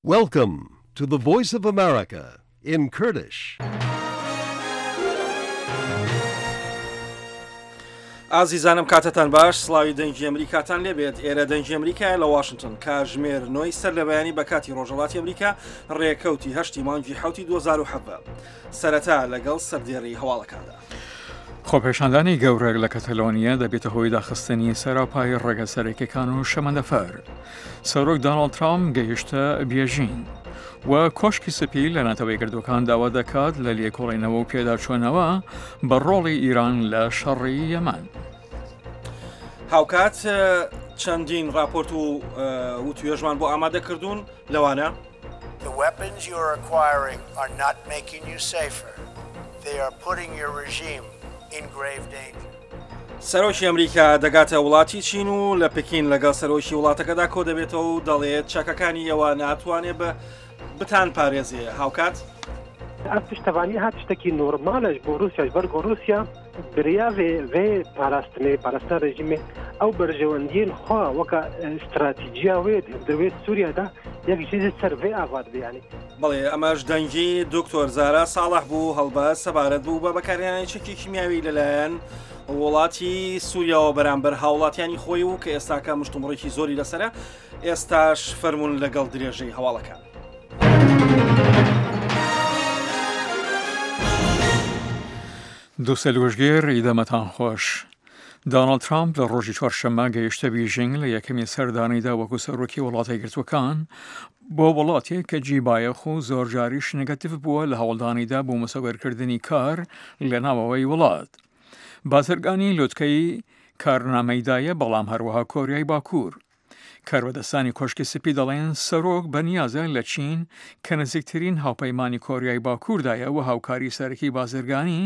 Welcome to the Voice of America in Kurdish. ئازیزانم کاتتان باش سڵاوی دەنگی ئەمریکاتان لێبێت ئێرە دەنگی ئەمریکایە لە واشنگتن کاژمێر نۆی سەر لە بەیانی بە کاتی ڕۆژهەڵاتی ئەمریکا ڕێکەوتی هەشتی مانگی حوتی 2017 سەرەتا لەگەڵ سەردێڕی هەواڵەکاندا. خۆپێشاندانی گەورە لە کەتەلۆنیا دەبێتە هۆی داخستنی سەراپای ڕێگە سەرەکیەکان و شەمەندەفەر. سەرۆک داناڵد ترامپ گەیشتە بێژین و کۆشکی سپی لە نەتەوە یەکگرتووەکان داوا دەکات لە لێکۆڵینەوە و پێداچوونەوە بە ڕۆڵی ئیران لە شەڕی یەمەن. هاوکات چەندین راپۆرت و وتوێژمان بۆ ئامادە کردوون لەوانە. The weapons you are acquiring are not making you safer, they are putting your regime in grave danger. سەرۆکی ئەمریکا دەگاتە وڵاتی چین و لە پکین لەگەڵ سەرۆکی وڵاتەکەدا کۆدەبێتەوە و دەڵێت چەکەکانی ئێوە ناتوانێ بە بتان پارێزێ هاوکات. ئەف پشتەڤانی ها تشتەکی نۆرمالە ژ بۆ رووسیا ژ بەر گۆ رووسیا بریا ڤێ ڤێ پاراستنێ پاراستنا رژیمێ ئەو بەرژەوەندیێن خوا وەکە ستراتیجیا وێ در وێ سووریا دا یەک ژ سەر ڤێ ئاڤا دبێ یانی. بەڵێ ئەمەش دەنگی دکتۆر زارا ساڵح بوو هەڵبەت سەبارەت بوو بە بەکارهێنانی چەکی کیمیاوی لەلایەن وڵاتی سووریاوە بەرامبەر هاوڵاتیانی خۆی و کە ئێستاکە مشتومڕێکی زۆری لەسرە ئێستاش فەرمونون لەگەڵ درێژەی هەواڵەکان. دووسەلوژگێر ی دەمتان خۆش. داناڵد ترامپ لە ڕۆژی چوارشەممە گەیشتە بیژینگ لە یەکەمین سەردانیدا وەکو سەرۆکی وڵاتە یەکگرتووەکان بۆ وڵاتێک کە جی بایەخ و زۆرجاریش نگەتیڤ بووە لە هەوڵدانیدا بۆ مسۆگەرکردنی کار لە ناوەوەی وڵات. بازرگانی لوتکەی کارنامەیدایە بەڵام هەروەها کۆریای باکوور. کاربەدەستانی کۆشکی سپی دەڵێن سەرۆک بەنیازە لە چین کە نزیکترین هاوپەیمانی کۆریای باکووردایە و هاوکاری سەرەکی بازرگانی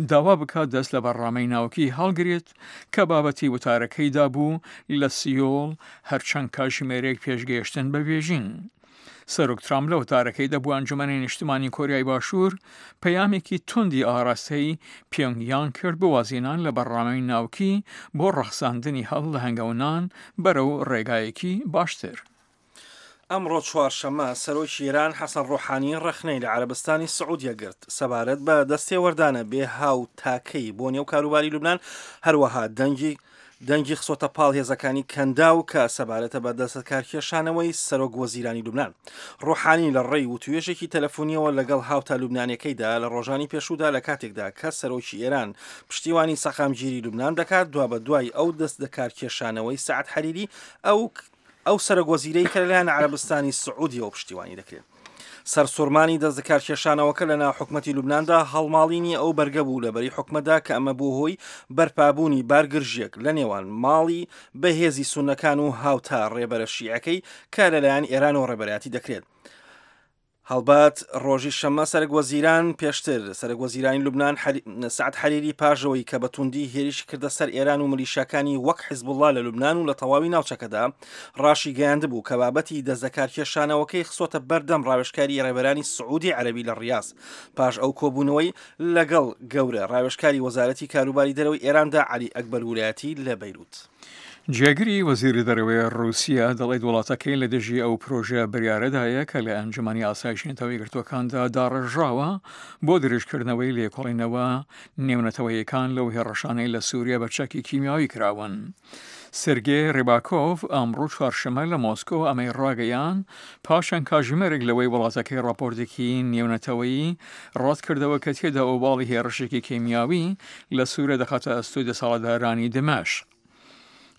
داوا بکات دەست لە بەرنامەی ناوکی هەڵگرێت کە بابەتی وتارەکەیدا بوو لە سیۆڵ هەرچەند کاژمێرێک پێش گەیشتن بە بێژینگ. سەرۆک ترامپ لە وتارەکەیدا بۆ ئەنجومەنی نیشتمانی کۆریای باشوور پەیامێکی توندی ئاراستەی پیۆنگ یانگ کرد بۆ وازهێنان لە بەرنامەی ناوکی بۆ ڕەخساندنی هەڵ لە هەنگاونان بەرەو ڕێگایەکی باشتر. ئەمڕۆ چوارشەممە سەرۆکی ئێران حەسەن ڕۆحانی ڕەخنەی لە عەرەبستانی سعودیە گرت سەبارەت بە دەستێوەردانە بێ هاوتاکەی بۆ نێو کاروباری لوبنان، هەروەها دەنگی دەنگی خستۆتە پاڵ هێزەکانی کەنداو کە سەبارەتە بە دەستەکارکێشانەوەی سەرۆک وەزیرانی لوبنان. ڕۆحانی لە ڕێی وتوێژێکی تەلەفونیەوە لەگەڵ هاوتا لوبنانیەکەیدا لە ڕۆژانی پێشوودا لە کاتێکدا کە سەرۆکی ئێران پشتیوانی سەقامگیری لوبنان دەکات دوابەدوای ئەو دەستلەکارکێشانەوەی سەعد حەریری ئەو ئەو سەرۆک وەزیرەی کە لەلایەن عەرەبستانی سعودیەوە پشتیوانی دەکرێت. سەرسوڕمانی دەستلەکارکێشانەوەکە لە ناو حکومەتی لوبناندا هەڵماڵینی ئەو بەرگە بوو لە بەری حکومەتدا کە ئەمە بووە هۆی بەرپابوونی بارگرژییەک لە نێوان ماڵی بەهێزی سوننەکان و هاوتا ڕێبەرە شیعەکەی کە لەلایەن ئێرانەوە ڕێبەرایەتی دەکرێت. هەڵبەت ڕۆژی شەممە سەرک وەزیران پێشتر سەرک وەزیرانی لوبناان سعد حەریری پاژەوەی کە بە توندی هێرشی کردە سەر ئێران و ملیشاکانی وەک حزبوڵڵا لە لوبناان و لە تەواوی ناوچەکەدا ڕاشیگەیاندبوو کە بابەتی دەستلەکارکێشانەوەکەی خستۆتە بەردەم ڕاوێژکاری ڕێبەرانی سعودی عەرەبی لە ڕیاز پاش ئەو کۆبوونەوەی لەگەڵ گەورە ڕاوێژکاری وەزارەتی کاروباری دەرەوەی ئێراندا عەلی ئەکبەر ولایەتی لە بەیروت. جێگری وەزیری دەرەوەی ڕووسیا دەڵێت وڵاتەکەی لە دژی ئەو پرۆژە بریارەدایە کە لە ئەنجومەنی ئاسایشی نەتەوە یەکگرتووەکاندا داڕێژراوە بۆ درێژکردنەوەی لێکۆڵینەوە نێونەتەوەیەکان لەو هێڕشانەی لە سووریا بە چەکی کیمیاوی کراون. سێرگێ ڕیباکۆڤ ئەمڕۆ چوارشەممە لە مۆسکۆ ئەمەی ڕاگەیاند، پاش چەند کاژمێرێک لەوەی وڵاتەکەی ڕاپۆرتێکی نێونەتەوەیی ڕەتکردەوە کە تێدا ئۆباڵی هێڕشێکی کیمیاوی لە سوریا دەخاتە ئەستۆی دەسەڵاتدارانی دمەشق.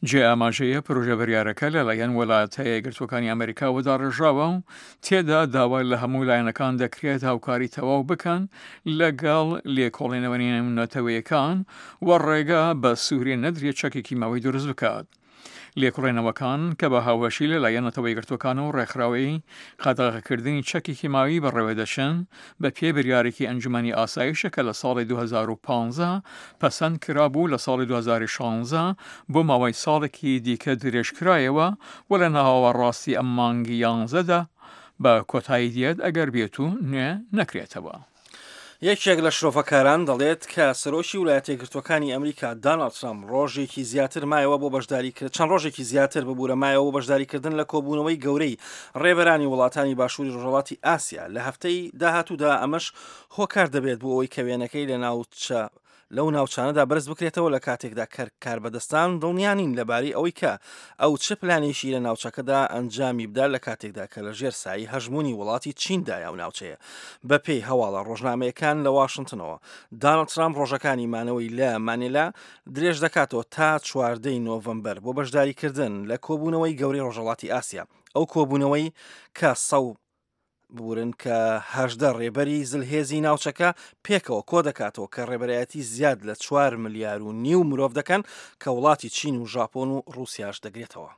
جێ ئاماژەیە پرۆژە بریارەکە لەلایەن وەلایەتە یەکگرتووەکانی ئەمەریکاوە داڕێژراوە و تێدا داوا لە هەموو لایەنەکان دەکرێت هاوکاری تەواو بکەن لەگەڵ لێکۆڵینەوە نێونەتەوەیەکان و ڕێگا بە سووریە نەدرێت چەکی کیماوی دروست بکات. لێکۆڵینەوەکان کە بە هاوبەشی لەلایەن نەتەوە یەکگرتووەکان و ڕێکخراوەی قەدەغەکردنی چەکی کیماوی بەڕێوەدەچن، بە پێی بریارێکی ئەنجومەنی ئاسایشە کە لە ساڵی 2015 پەسەند کرابوو، لە ساڵی 2016 بۆ ماوەی ساڵێکی دیکە درێژکرایەوە و لە ناوەڕاستی ئەم مانگی یانزەدا بە کۆتایی دێت ئەگەر بێتو نوێ نەکرێتەوە. یەکێک لە شرۆڤەکاران دەڵێت کە سەرۆکی ولایەتە یەکگرتووەکانی ئەمریکا داناڵد ترامپ ڕۆژێکی زیاتر مایەوە بۆ بەشداری چەند ڕۆژێکی زیاتر ببوورە مایەوە بۆ بەشداریکردن لە کۆبوونەوەی گەورەی ڕێبەرانی وڵاتانی باشووری ڕۆژهەڵاتی ئاسیا لە هەفتەی داهاتوودا ئەمەش هۆکار دەبێت بۆ ئەوەی کە وێنەکەی لە ناوچە لەو ناوچانەدا بەرز بکرێتەوە لە کاتێکدا کە کاربەدەستان دڵنیا نین لەبارەی ئەوەی کە ئەو چ پلانێکی لە ناوچەکەدا ئەنجامی بدات لە کاتێکدا کە لە ژێر سایەی هەژموونی وڵاتی چیندایە ئەو ناوچەیە. بەپێی هەواڵە ڕۆژنامەیەکان لە واشنتنەوە، دانڵد ترامپ ڕۆژەکانی مانەوەی لە مانێلا درێژ دەکاتەوە تا 14 ی نۆڤەمبەر بۆ بەشداریکردن لە کۆبوونەوەی گەورەی ڕۆژهەڵاتی ئاسیا، ئەو کۆبوونەوەی کە ببورن کە 18 ڕێبەری زلهێزی ناوچەکە پێکەوە کۆدەکاتەوە کە ڕێبەرایەتی زیاد لە 4 ملیار و نیو مرۆڤ دەکەن کە وڵاتی چین و ژاپۆن و ڕووسیاش دەگرێتەوە.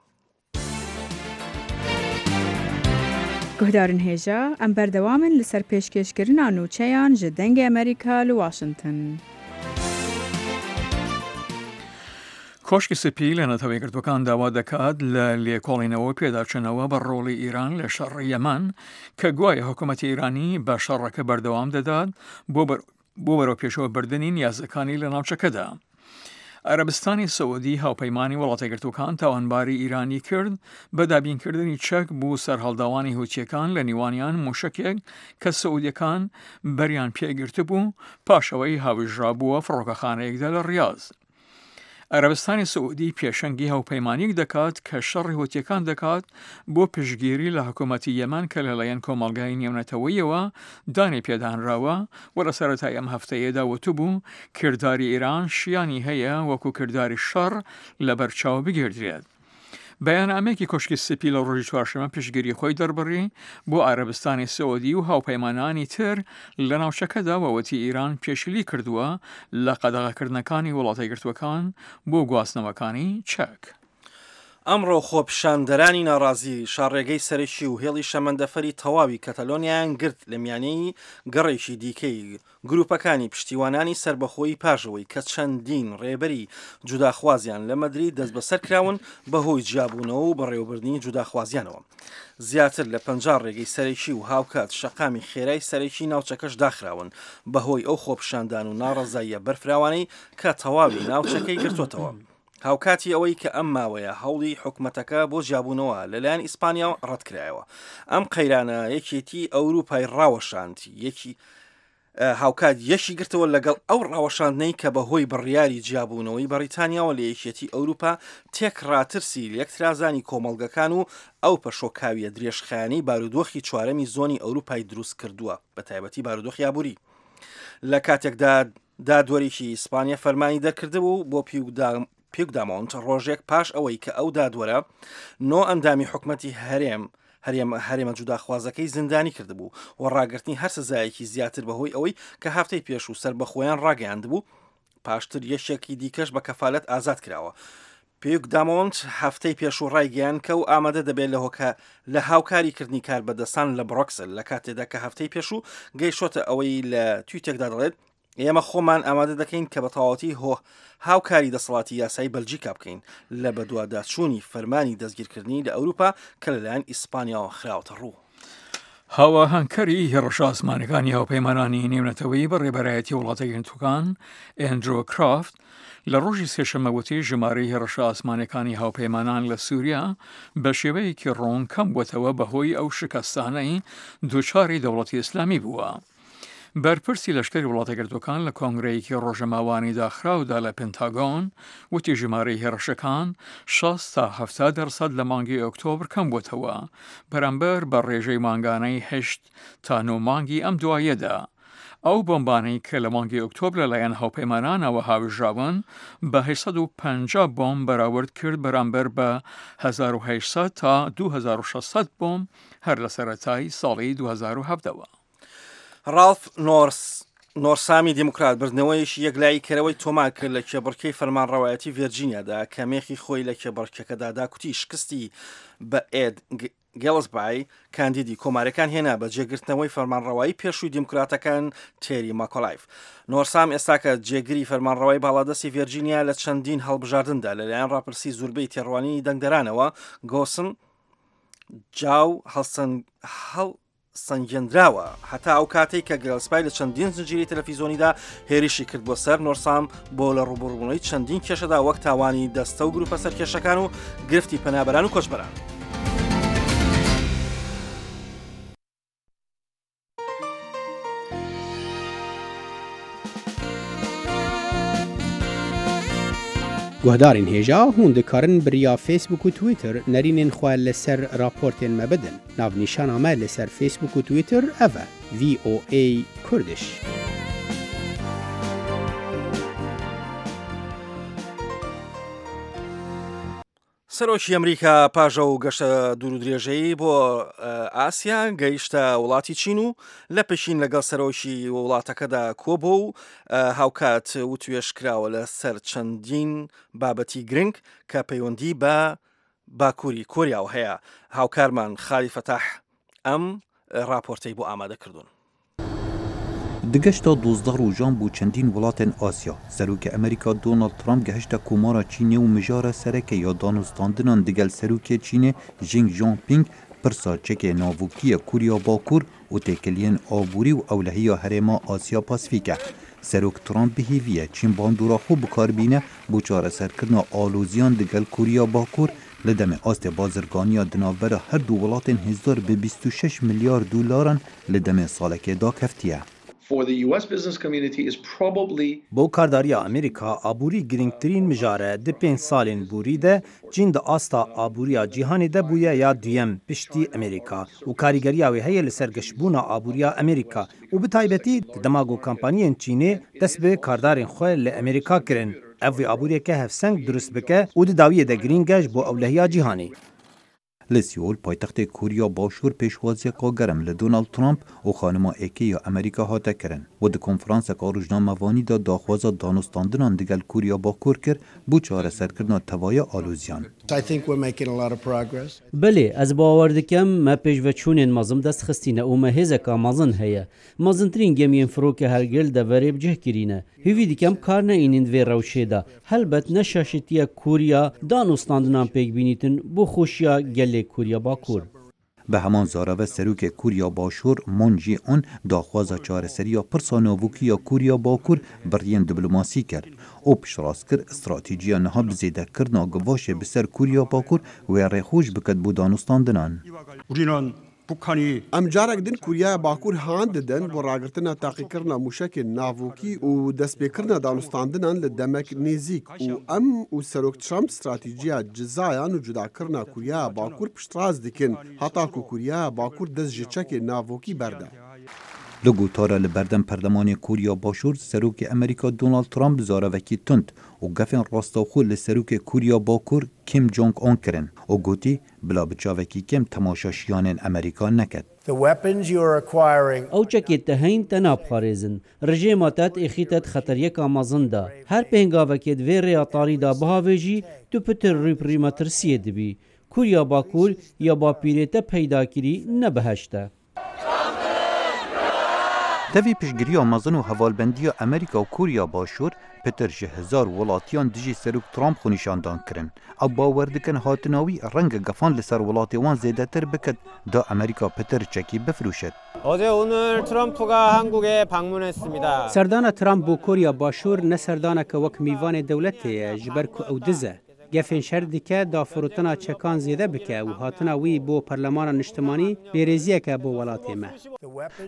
Guhdarên hêja, em berdewam in li ser pêşkêşkirina nûçeyan ji Dengê Amerîka li Washington. کۆشکی سپی لە نەتەوە یەکگرتووەکان داوا دەکات لە لێکۆڵینەوە و پێداچوونەوە بە ڕۆڵی ئیران لە شەڕی یەمەن کە گوایە حکوومەتی ئیرانی بە شەڕەکە بەردەوام دەدات بۆ بۆ بەرەوپێشەوە بردنی نیازەکانی لە ناوچەکەدا. عەرەبستانی سعودی هاوپەیمانی وڵاتە یەکگرتووەکان تاوانباری ئیرانی کرد بە دابینکردنی چەک بۆ سەرهەڵداوانی هوتیەکان لە نیوانیان موشەکێک کە سعودیەکان بەریان پێگرتبوو پاش ئەوەی هاویژرابووە فڕۆکەخانەیەکدا لە ڕیاز. عەرەبستانی سعودی پێشەنگی هاوپەیمانیەک دەکات کە شەڕی هوتیەکان دەکات بۆ پشتگیری لە حکومەتی یەمەن کە لەلایەن کۆمەڵگای نێونەتەوەییەوە دانی پێدانراوە و لە سەرەتای ئەم هەفتەیەدا وتبوو کرداری ئیران شیانی هەیە وەکو کرداری شەڕ لەبەرچاو بگیردرێت. بەیاننامەیەکی کۆشکی سپی لە ڕۆژی چوارشەممە پشتگیری خۆی دەربڕی بۆ عەرەبستانی سعودی و هاوپەیمانانی تر لە ناوچەکەدا و وتی ئیران پێشلی کردووە لە قەدەغەکردنەکانی وڵاتە یەکگرتووەکان بۆ گواستنەوەکانی چەک. ئەمڕۆ خۆپیشاندەرانی ناڕازی شاڕێگەی سەرەکی و هێڵی شەمەندەفەری تەواوی کەتەلۆنیایان گرت لە میانەی گەڕێکی دیکەی گروپەکانی پشتیوانانی سەربەخۆیی پاش ئەوەی کە چەندین ڕێبەری جوداخوازیان لە مەدرید دەستبەسەر کراون بەهۆی جیابوونەوە و بەڕێوەبردنی جوداخوازیانەوە. زیاتر لە 50 ڕێگەی سەرەکی و هاوکات شەقامی خێرای سەرەکی ناوچەکەش داخراون بەهۆی ئەو خۆپیشاندان و ناڕەزاییە بەرفراوانەی کە تەواوی ناوچەکەی گرتووەتەوە. هاوکاتی ئەوەی کە ئەم ماوەیە هەوڵی حکومەتەکە بۆ جیابوونەوە لەلایەن ئیسپانیاوە ڕەتکرایەوە. ئەم قەیرانە یەکێتی ئەوروپای ڕاوەشاند، یەکی هاوکات یەکی گرتەوە لەگەڵ ئەو ڕاوەشاندنەی کە بەهۆی بڕیاری جیابوونەوەی بەڕیتانیاوە لە یەکێتی ئەوروپا تێکڕا ترسی لێکترازانی کۆمەڵگەکان و ئەو پەشۆکاویە درێژخایەنەی بارودۆخی چوارەمی زۆنی ئەوروپای دروست کردووە بەتایبەتی بارودۆخی ئابووری لە کاتێکدا دادوەرێکی ئیسپانیا فەرمانی دەرکردبوو بۆ پیوگدامۆنت ڕۆژێک پاش ئەوەی کە ئەو دادوەرە نۆ ئەندامی حکومەتی هەرێم هەرێم هەرێمە جوداخوازەکەی زیندانی کردبوو و ڕاگرتنی هەر سزایەکی زیاتر بەهۆی ئەوەی کە هەفتەی پێشوو سەربەخۆیان ڕاگەیاندبوو پاشتر یەکێکی دیکەش بە کەفالەت ئازاد کراوە. پیوگدامۆنت هەفتەی پێشوو ڕایگەیاند کە ئەو ئامادە دەبێت لە هۆکە لە هاوکاری کردنی کاربەدەستان لە بڕۆکسل لە کاتێدا کە هەفتەی پێشوو گەیشتۆتە ئەوەی لە تویتێکدا دەڵێت ئێمە خۆمان ئامادە دەکەین کە بە تەواوەتی هۆ هاوکاری دەسەڵاتی یاسایی بەلجیکا بکەین لە بەدواداچوونی فەرمانی دەستگیرکردنی لە ئەوروپا کە لەلایەن ئیسپانیاوە خراوەتە ڕوو. هاواهەنگکەری هێڕشە ئاسمانەکانی هاوپەیمانانی نێونەتەوەیی بە ڕێبەرایەتی وڵاتە یەکگرتووەکان ئەندرۆ کرافت لە ڕۆژی سێشەممە وتی ژمارەی هێڕشە ئاسمانەکانی هاوپەیمانان لە سووریا بە شێوەیەکی ڕوون کەم بووەتەوە بەهۆی ئەو شکستانەی دووچاری دەوڵەتی ئیسلامی بووە. بەرپرسی لەشکری وڵاتەیەکگرتووەکان لە کۆنگرەیەکی ڕۆژەماوانی داخراودا لە پنتاگۆن وتی ژمارەی هێڕشەکان 60 تا 70 دەرسەد لە مانگی ئۆکتۆبر کەم بووەتەوە بەرامبەر بە ڕێژەی مانگانەی هەشت تا نۆ مانگی ئەم دواییەدا. ئەو بۆمبانەی کە لە مانگی ئۆکتۆبر لەلایەن هاوپەیمانانەوە هاوێژراون بە 850 بۆمب بەراورد کرد بەرامبەر بە 1800 تا 2600 بۆمب هەر لە سەرەتای ساڵی 2017 وە. ڕاڵف نۆرس نۆرسامی دیموکرات بردنەوەیەکی یەکلایی کەرەوەی تۆمار کرد لە کێبڕکێی فەرمانڕەوایەتی ڤێرجینیادا کە مێخی خۆی لە کێبڕکێکەدا داکوتی شکستی بە ئێد گێڵسبای کاندیدی کۆمارەکان هێنا بە جێگرتنەوەی فەرمانڕەوایی پێشووی دیموکراتەکان تێری ماکۆلایف. نۆرسام ئێستاکە جێگری فەرمانڕەوای باڵادەستی ڤێرجینیا لە چەندین هەڵبژاردندا لەلایەن ڕاپرسی زوربەی تێڕوانینی دەنگدەرانەوە گۆسن جاو هەڵسەن هەڵ. سەنگێندراوە هەتا ئەو کاتەی کە گێلسپای لە چەندین زنجیرەی تەلەفیزۆنیدا هێرشی کرد بۆ سەر نۆرسام بۆ لە ڕووبەڕووبوونەوەی چەندین کێشەدا وەک تاوانی دەستە و گروپە سەرکێشەکان و گرفتی پەنابەران و کۆچبەران. Guhdarên hêja hûn dikarin bi riya Facebook û Twitter nerînên xwe li ser raportên me bidin. Navnîşana me li ser Facebook û Twitter ev e, VOA Kurdish. سەرۆکی ئەمریکا پاش ئەو گەشتە دوورودرێژەی بۆ ئاسیا گەیشتە وڵاتی چین و لە پەکین لەگەڵ سەرۆکی وڵاتەکەدا کۆبوو و هاوکات وتوێژ کراوە لەسەر چەندین بابەتی گرنگ کە پەیوەندی بە باکووری کۆریاوە هەیە. هاوکارمان خالی فەتاح ئەم ڕاپۆرتەی بۆ ئامادە کردوون. Di geşta 12 rojan bo çendîn welatên Asya, Serokê Amerîka Donald Trump gehişte Komara Çînê û mijara sereke ya danûstandinan digel Serokê Çînê Xi Jinping pirsa çekê navokî ye Koriya Bakur û têkiliyên aborî û ewlehiya herêma Asya Pasîfîk e. Serok Trump bi hêvî ye Çîn bandora xwe bikar bîne bo çareserkirina aloziyan digel Koriya Bakur li demê astê bazirganiya di navbera her du welatên hêzdar bi 26 milyar dolaran li demê salekê dakeftiye. Bo kardariya Amerîka aborî girîngtirîn mijar e. Di pênc salên borî de Çîn di asta aboriya cîhanê de bûye ya duyem piştî Amerîka û karîgeriya wê heye li ser geşbûna aboriya Amerîka û bi taybetî di dema ku kampaniyên Çînê dest bi kardarên xwe li Amerîka kirin. Ev wê aboriyeke hevseng dirust bike û di dawiyê de girîng e ji bo ewlehiya cîhanê. Li Seul paytextê Koriya Başûr pêşwaziyeka germ li Donald Trump û xanima êkê ya Amerîka hate kirin û di konferanseka rojnamevanî de daxwaza danûstandinan digel Koriya Bakur kir bo çareserkirina tevaya aloziyan. Belê, ez bawer dikim me pêşveçûnên mezin dest xistîne û me hêzeka mezin heye. Mezintirîn gemiyên firoke hergil deverê bi cih kirîne. Hêvî dikim kar neyînin di vê rewşê de. Helbet ne şaşitiya Koriya danûstandinan pêk bînîtin bo xweşiya gelê Koriya Bakur. Bi heman zarave Serokê Koriya Başûr Moon Jae-in daxwaza çareseriya pirsa navokî ya Koriya Bakur bi riyên diplomasî kir û piştrast kir stratêjiya niha bi zêdekirina givaşê bi ser Koriya Bakur wê rêxweş biket bo danûstandinan. Em carek din Koryaya Bakur han didin bo ragirtina taqîkirina mûşekên navokî û destpêkirina danûstandinan li demek nêzîk û em û Serok Trump stratêjiya cizayan û cudakirina Koryaya Bakur piştrast dikin heta ku Koryaya Bakur dest ji çekên navokî berde. Li gotara li berdem Perlemanê Koriya Başûr, Serokê Amerîka Donald Trump zaravekî tund û gefên rastewxwe li Serokê Koriya Bakur Kim Jong Un kirin û gotî bila bi çavekî kêm temaşa şiyanên Amerîka neket. Ew çekê te heyîn te naparêzin. Rijêma te diêxîte di xeteriyeka mezin de. Her pêngavekê di vê rêya tarî de bihavêjî, tu pitir rû bi rû metirsiyê dibî. Koriya Bakur ya bapîrê te peyda kirî ne biheşt e. Tevî piştgiriya mezin û hevalbendiya Amerîka û Koriya Başûr, pitir ji hezar welatiyan dijî Serok Trump xwenîşandan kirin. Ew bawer dikin hatina wî renge gefan li ser welatê wan zêdetir biket da Amerîka pitir çekî bifiroşit. Serdana Trump bo Koriya Başûr ne serdaneke wek mîvanê dewletê ye ji ber ku ew diz e. Gefên şer dike da firotina çekan zêde bike û hatina wî bo Perlemana Niştimanî bêrêziyek e bo welatê me.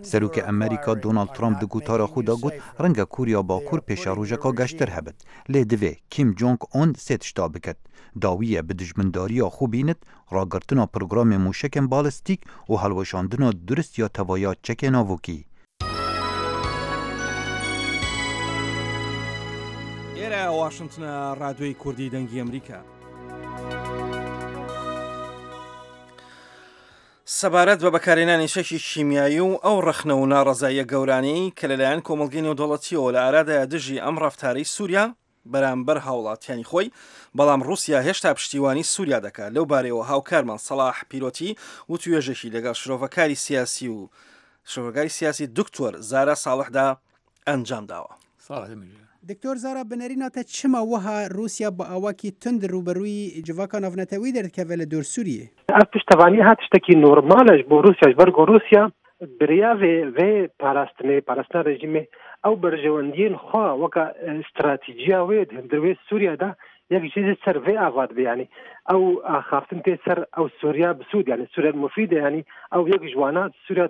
Serokê Amerîka Donald Trump di gotara xwe de got, Renge Koriya Bakur pêşerojeka geştir hebit. Lê divê Kim Jong Un sê tişta biket, Dawiyê bi dijmindariya xwe bînit, ragirtina programê mûşekên balistîk û hilweşandina durist ya tevaya çekê navokî. ئێرە واشنتنە ڕادیۆی کوردی دەنگی ئەمریکا. سەبارەت بە بەکارهێنانی چەکی کیمیایی و ئەو ڕەخنە و ناڕەزاییە گەورانەی کە لەلایەن کۆمەڵگەی نێودەوڵەتییەوە لە ئارادایە دژی ئەم ڕەفتارەی سووریا بەرامبەر هاوڵاتیانی خۆی، بەڵام ڕووسیا هێشتا پشتیوانی سووریا دەکات، لەو بارەیەوە هاوکارمان سەڵاح پیرۆتی وتوێژێکی لەگەڵ شرۆڤەکاری سیاسی و شرۆڤەکاری سیاسی دکتۆر زارا ساڵحدا ئەنجام داوە. دکتۆر زارا بنەرینا te çima wiha Rûsya bi awakî tund rûberûyî civaka navnetewî derdikeve li dor Sûriyê? Ev piştevanî her tiştekî normal e ji bo Rûsya ji ber ku Rûsya Bi riya vê vê parastinê, parastina rejîmê ew berjewendiyên xwe weka stratîjiya wê di hundir wê Sûriya de yek jê jî ser vê ava dibe yanî ew axaftin tê ser ew Sûriya bi sûd yanî Sûriya mufîd e yanî ew yek ji wana Sûriya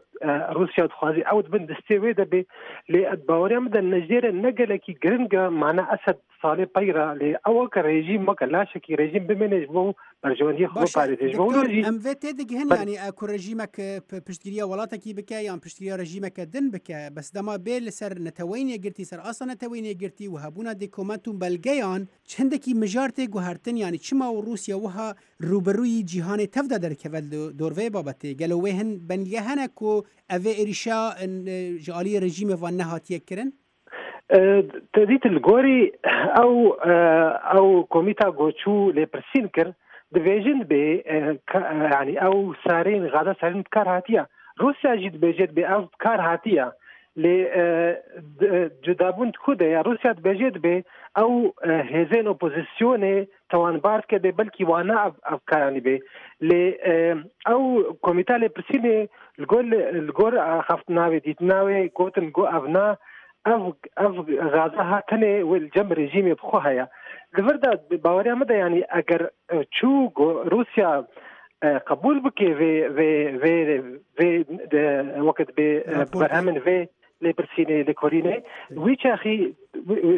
Rûsya dixwazî ew di bin destê wê de bê lê baweriya min de nejêre ne gelekî giring e mana Esed Salê pey re lê ew weke rejîm weke laşekî rejîm bimêne ji bo berjewendiyê xwe Baş e biparêze. Ji bo doktor wilo jî em vê tê digihin ber yanî ku rejîmek piştgiriya welatekî bike yan piştgiriya rejîmeke din bike bes dema bê li ser Neteweyên Yekgirtî ser asta Neteweyên Yekgirtî û hebûna dêkoment û belgeyan çendekî mijar tê guhertin yanî çima û Rûsya wiha rûbirûyî cîhanê tev de derkeve li dor vê babetê gelo wê hin belge hene ku ev vê êrîşa ji aliyê rejîmê ve nehatiye kirin? Te dît li gorî ew ew komîta ku çû lêpirsîn kir dibêjin dibê yanî ew sarên gaza sarîn bi kar hatiye. Rûsya jî dibêje dibê ev bi kar hatiye. Lê cudabûn di ku de ye? Rûsya dibêje dibê ew hêzên opozisyonê tawanbar dike dê belkî wana ev ev karanî bê. Lê ew komîta lêpirsînê li gor li gor axaftina wê dîtina wê gotin ku ev na ev ev gaza ha tenê wê li cem rejîmê bi xwe heye. Li vir de baweriya min de yanî eger çû ku Rûsya qebûl bike vê vê vê vê weke dibê berhemên vê Lêpirsînê, lêkolînê wî çaxî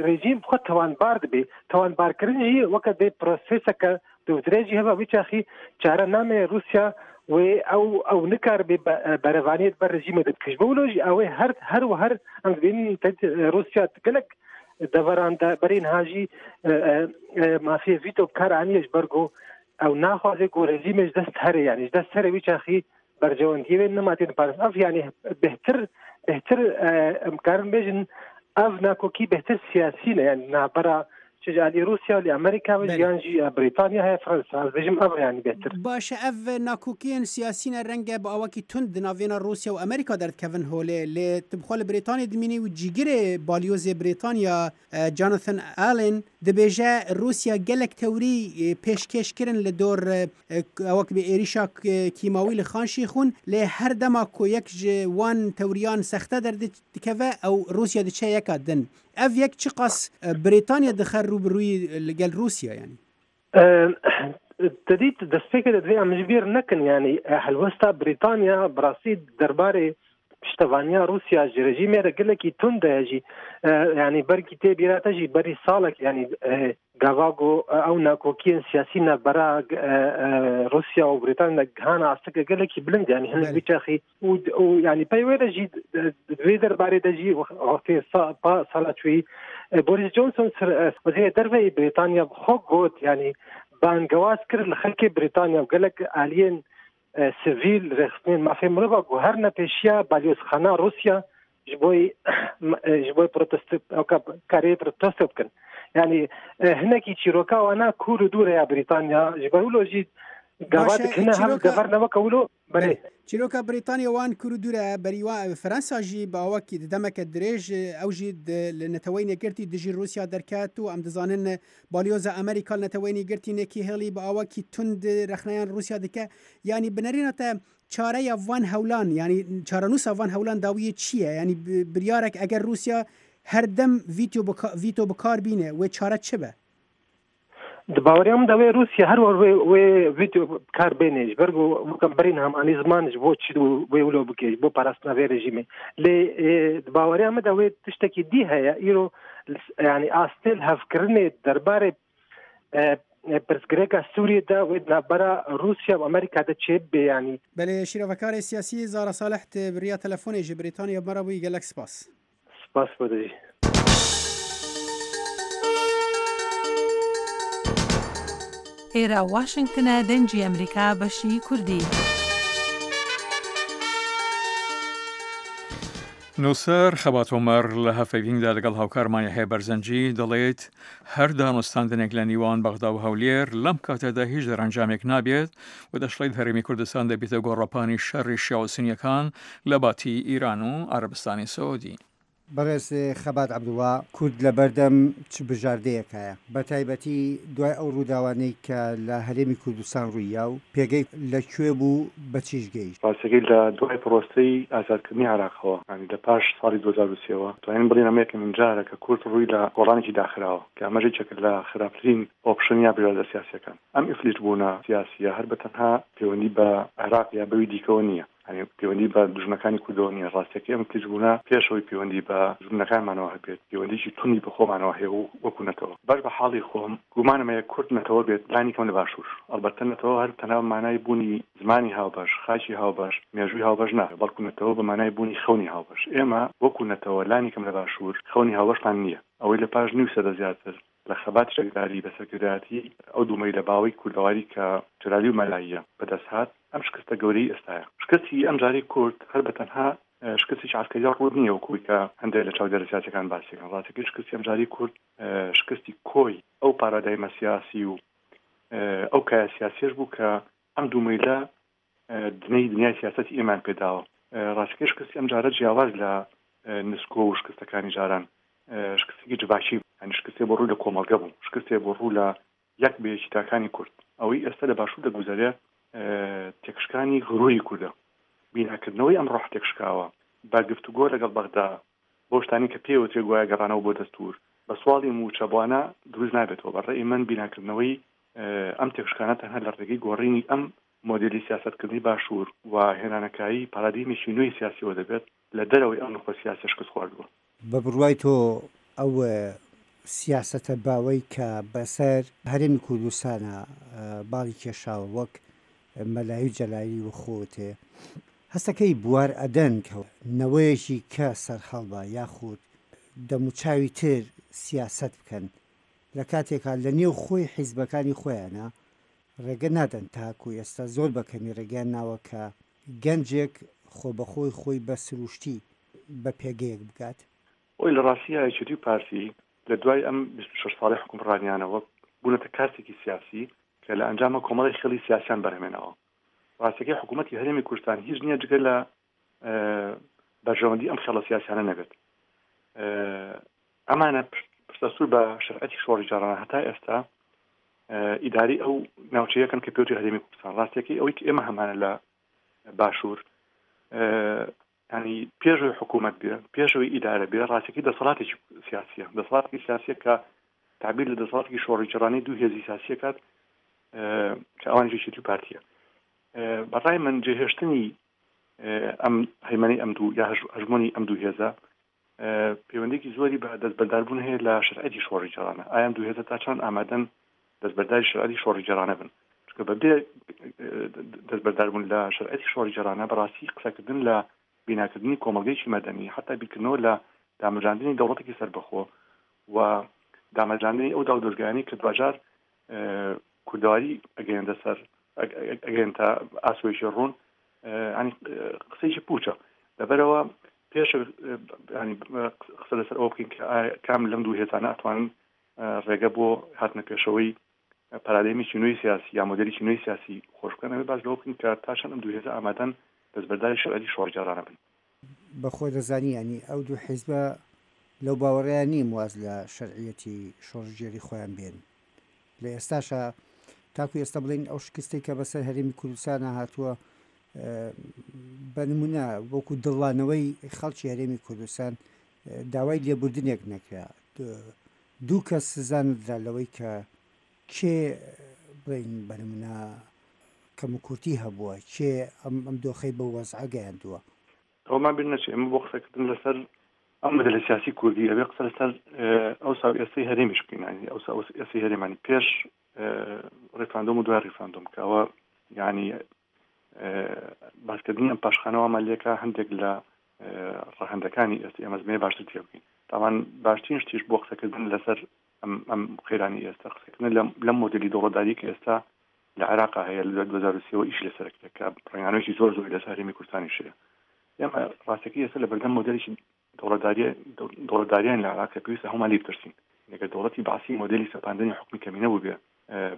rejîm xwe tawanbar dibe. Tawanbarkirin jî weke dê proseseke dûvdirêj jî hebe wî çaxî çare namê Rûsya wê ew ew nikaribe berevaniyê di ber rejîmê de bike. Ji bo wilo jî ew ê her her û her em dibînin Rûsya di gelek deveran de berî niha jî mafê vîto bi kar aniye ji ber ku ew naxwaze ku rejîmê ji dest here yanî ji dest here wî çaxî Berjewendiyê wê nema tên parastin. Ev yanî bêhtir bêhtir em karin bêjin ev nakokî bêhtir siyasî ne yani navbera çi ji aliyê Rûsya li Amerîka ve yan jî Brîtanya heye Fransa ez bêjim ev yanî bêhtir. Baş e ev nakokiyên siyasî ne renge bi awakî tund di navêna Rûsya û Amerîka derdikevin holê lê tu bi xwe li Brîtanyê dimînî û cîgirê balyozê Brîtanya Jonathan Allen dibêje Rûsya gelek tewrî pêşkêş kirin li dor wek bi êrîşa kîmawî li Xan Şêxûn lê her dema ku yek ji wan tewriyan sexte derdikeve ew Rûsya diçe yeka din. Ev yek çiqas Brîtanya dixe rûbirûyî li gel Rûsya yanî? Te dît destpêkê de divê em ji bîr nekin yanî helwesta Brîtanya bi rastî derbarê piştevaniya Rûsya ji rejîmê re gelekî tund e jî yanî belkî tê bîra te jî berî salek yanî gava ku ew nakokiyên siyasî navbera Rûsya û Brîtanya gihana asteke gelekî bilind yanî hinek vî çaxî û û yanî pey wê de jî di vê derbarê de jî wextê pa sala çûyî Boris Johnson wezîrê derve yê Brîtanya bi xwe got yanî bangewaz kir li xelkê Brîtanya û gelek aliyên sivîl rêxistinên mafê mirova ku her ne pêşiya balyozxana Rûsya ji bo ji bo protest karê protesto bikin. Yanî hinekî çîroka wana kûr û dûr e ya Brîtanya ji ber wilo jî gava dikine hev dever ne weke wilo Belê. Çîroka Brîtanya wan kûr û dûr e, berî wan Fransa jî bi awakî di demeke dirêj ew jî di li Neteweyên Yekgirtî dijî Rûsya derket û em dizanin balyoza Amerîka li Neteweyên Yekgirtî Nikki Haley bi awakî tund rexneyan Rûsya dike. Yanî bi nerîna te çareya van hewlan yanî çarenûsa van hewlan dawiyê çi ye? Yanî biryarek eger Rûsya her dem vîto bi kar bîne wê çare çi be? Di baweriya min de wê Rûsya her war wê wê vîdeo bi kar bêne ji ber ku weke berîn hem anî ziman ji bo çi wê wilo bike ji bo parastina vê rejîmê. Lê di baweriya min de wê tiştekî dî heye îro yanî astê li hevkirinê derbarê pirsgirêka Sûriyê de wê di navbera Rûsya û Amerîka de çê bibe yanî. Belê şîrovekarê siyasî Zara Salih di bi riya telefonê ji Brîtanya bi me re bûyî gelek spas. Spas bo te jî. Êra Washington e Dengê Amerîka beşî Kurdî. Nûser Xebat Omer li hevpeyvînê de ligel hawkarman Yehya Berzencî دەڵێت، هەر دانوستاندنێک لە نیوان بەغدا و هەولێر لەم کاتەدا هیچ دەرەنجامێک نابێت و دەشڵێت هەرێمی کوردستان دەبێتە گۆڕەپانی شەڕی شیعە و سونیەکان لە باتی ئیران و عەرەبستانی سعودی. بەڕێز خەبات عەبدوڵا، کورد لەبەردەم چ بژاردەیەکایە؟ بەتایبەتی دوای ئەو ڕووداوانەی کە لە هەرێمی کوردستان ڕووییا و پێگەی لە کوێ بوو بە چیش گەیشت؟ ڕاستەکەی لە دوای پڕۆسەی ئازادکردنی عێراقەوە، یانی لە پاش ساڵی 2003 وە، دەتوانین بڵێین ئەمە یەکەمین جارە کە کورد ڕووی لە گۆڕانێکی داخراوە، کە ئەمەش یەکێکە لە خراپترین ئۆپشن یا بژاردە سیاسییەکان. ئەم ئیفلیجبوونە سیاسییە هەر بە تەنها پەیوەندی بە عێراق یا بەوی دیکەوە نییە، یانی پەیوەندی بە دوژمنەکانی کوردەوە نییە، ڕاستیەکەی ئەم ئیفلیجبوونە پێش ئەوەی پەیوەندی بە دوژمنەکانمانەوە هەبێت، پەیوەندیی توندی بە خۆمانەوە هەیە و وەکوو نەتەوە. باش بە حاڵی خۆم گومانم هەیە کورد نەتەوە بێت لانی کەم لە باشوور. ئەڵبەتە نەتەوە هەر تەنها بە مانای بوونی زمانی هاوبەش، خاکی هاوبەش، مێژووی هاوبەش نا، بەڵکوو نەتەوە بە مانای بوونی خەونی هاوبەش. ئێمە وەکوو نەتەوە لانی کەم لە باشوور خەونی هاوبەشمان نییە. ئەوەی لە پاش نیو سەدە زیاتر لە خەباتی چەکداری بە سەرکردایەتی ئەو دوو مەیلە باوەی کوردەواری کە جەلالی و مەلاییە بەدەست هات، ئەم شکستە گەورەی ئێستایە. شکستی ئەمجارەی کورد هەر بە تەنها شکستێکی عەسکەری ڕووت نییە وەکو ئەوەی کە هەندێک لە چاودێرە سیاسیەکان باسی دەکەن، ڕاستەکەی شکستی ئەمجارەی کورد شکستی کۆی ئەو پارادایمە سیاسی و ئەو کایە سیاسیەش بوو کە ئەم دوو مەیلە دنەی دنیای سیاسەتی ئێمەیان پێداوە. ڕاستەکەی شکستی ئەمجارە جیاواز لە نسکۆ و شکستەکانی جاران شکستێکی جڤاکی بوو، یانی شکستێ بۆ ڕوو لە کۆمەڵگە بوو، شکستێ بۆ ڕوو لە یەک بە یەکی تاکانی کورد. ئەوەی ئێستا لە باشوور دەگوزەرێ تێکشکانی غروری کوردە. بیناکردنەوەی ئەم ڕۆحە تێکشکاوە بە گفتوگۆ لەگەڵ بەغدا بەو شتانەی کە پێی وترێ گوایە گەڕانەوە بۆ دەستوور بە سواڵی مووچە بۆانە دروست نابێتەوە. بە ڕەئی من بیناکردنەوەی ئەم تێکشکانە تەنها لە ڕێگەی گۆڕینی ئەم مۆدێلی سیاسەتکردنی باشوور و هێنانەکایەی پارادیمێکی نوێی سیاسیەوە دەبێت لە دەرەوەی ئەم نوخبە سیاسیە شکستخواردووە. بە بڕوای تۆ ئەو سیاسەتە باوەی کە بەسەر هەرێمی کوردستانا باڵی کێشاوە وەک مەلایی و جەلالی و خۆتێ هەستەکەی بوار ئەدەن کە نەوەیەکی کە سەرهەڵبا یاخود دەموچاوی تر سیاسەت بکەن لە کاتێکا لە نێو خۆی حیزبەکانی خۆیانا ڕێگە نادەن تاکو ئێستا زۆر بە کەمی ڕێگەیان ناوە کە گەنجێک خۆبەخۆی خۆی بە سروشتی بە پێگەیەک بگات. ئۆی لە ڕاستیا یەکێتی و پارتی لە دوای ئەم 26 ساڵەی حوکمڕانیانەوە بوونەتە کارتێکی سیاسی کە لە ئەنجاما کۆمەڵێک خێڵی سیاسیان بەرهەمێناوە. ڕاستەکەی حکوومەتی هەرێمی کوردستان هیچ نییە جگە لە بەرژەوەندی ئەم خێڵە سیاسیانە نەبێت. ئەمانە پشتەسوور بە شەرعەتی شۆڕشگێڕانە هەتا ئێستا ئیداری ئەو ناوچەیەکەن کە پێوتری هەرێمی کوردستان. ڕاستیەکەی ئەوەی کە ئێمە هەمانە لە باشوور ینی پێشەوەی حکوومەت بێ پێشەوەی ئیدارە بێ ڕاستەکەی دەسەڵاتێکی سیاسیە دەسەڵاتێکی سیاسیە کە تعبیر لە دەسەڵاتێکی شۆڕشگێڕانەی دوو هێزی سیاسیە کات کە ئەوان یەکێتی و پارتیە بەڕای من جێهێشتنی ئەم هەیمەنەی ئەم دوو یا هەژمۆنی ئەم دوو هێزە پەیوەندێکی زۆری بە دەستبەرداربوون هەیە لە شەرعەتی شۆڕشگێڕانە. ئایا ئەم دوو هێزە تا چەند ئامادەن دەستبەرداری شەرعەتی شۆڕشگێڕانە بن؟ چونکە بەبێ دەستبەرداربوون لە شەرعەتی شۆڕشگێڕانە بەڕاستی قسەکردن لە بیناکردنی کۆمەڵگەیەکی مەدەنی، حەتا بیرکردنەوە لە دامەزراندنی دەوڵەتێکی سەربەخۆ و دامەزراندنی ئەو داودەزگایانەی کە دواجار کوردەواری ئەگەیەندە سەر ئەگەیەنتە ئاسۆیەکی ڕوون ینی قسەیەکی پوچە لەبەرەوە پێش ینی قسە لەسەر ئەوە بکەین کە کام لەم دوو هێزانە ئەتوانن ڕێگە بۆ هاتنە پێشەوەی پارادایمێکی نوێی سیاسی یا مۆدێلێکی نوێی سیاسی خۆش بکەن ئەمە باس لەوە بکەین کە تا چەند ئەم دوو هێزە ئامادەن دەستبەرداری شەرعی شۆڕشگێڕانە بن. بە خۆ دەزانی یانی ئەو دوو حیزبە لەو باوەڕەیا نیم واز لە شەرعیەتی شۆڕشگێری خۆیان بێنن. لە ئێستاشا تاکو ئێستا بڵێین ئەو شکستەی کە بەسەر هەرێمی کوردستانا هاتووە بە نمونە وەکو دڵانەوەی خەڵکی هەرێمی کوردستان داوای لێبوردنێک نەکرا دوو کەس سزا نەدرا لەوەی کە کێ بڵێین بە نمونە کەموکورتی هەبووە کێ ئەم ئەم دۆخەی بەو وەزعە گەیاندووە. ئەوەمان بیر نەچێ ئێمە بۆ قسەکردن لەسەر ئەم مۆدێلە سیاسی کوردی ئەبێ قسە لەسەر ئەوسا و ئێستەی هەرێمیش بکەین یانی ئەوسا و ئێستەی هەرێمانی پێش ڕیفراندۆم و دوای ڕیفراندۆم کە ئەوە یانی باسکردنی ئەم پاشخانە وامان لێکا هەندێک لە ڕەهەندەکانی ئێستا ئێمە زمێ باشتر تێ بکەین تاوان باشترین شتیش بۆ قسەکردن لەسەر ئەم ئەم قەیرانی ئێستا قسەکردن لەم لەم مۆدێلی دەوڵەتداری کە ئێستا لە عێراقا هەیە لە 2023 ەوە ئیشی لەسەر کرێت کە ڕەنگانەوەیەکی زۆر زۆری لەسەر هەرێمی کوردستانیش هەیە ئێمە ڕاستەکەی ئێستا لە بەردەم مۆدێلێکی دەوڵەتداری دەوڵەتداریان لە عێراق کە پێویستە هەموومان لێی بترسین ئەگەر دەوڵەتی بەعسی مۆدێلی سەپاندنی حوکمی کەمینە بووبێ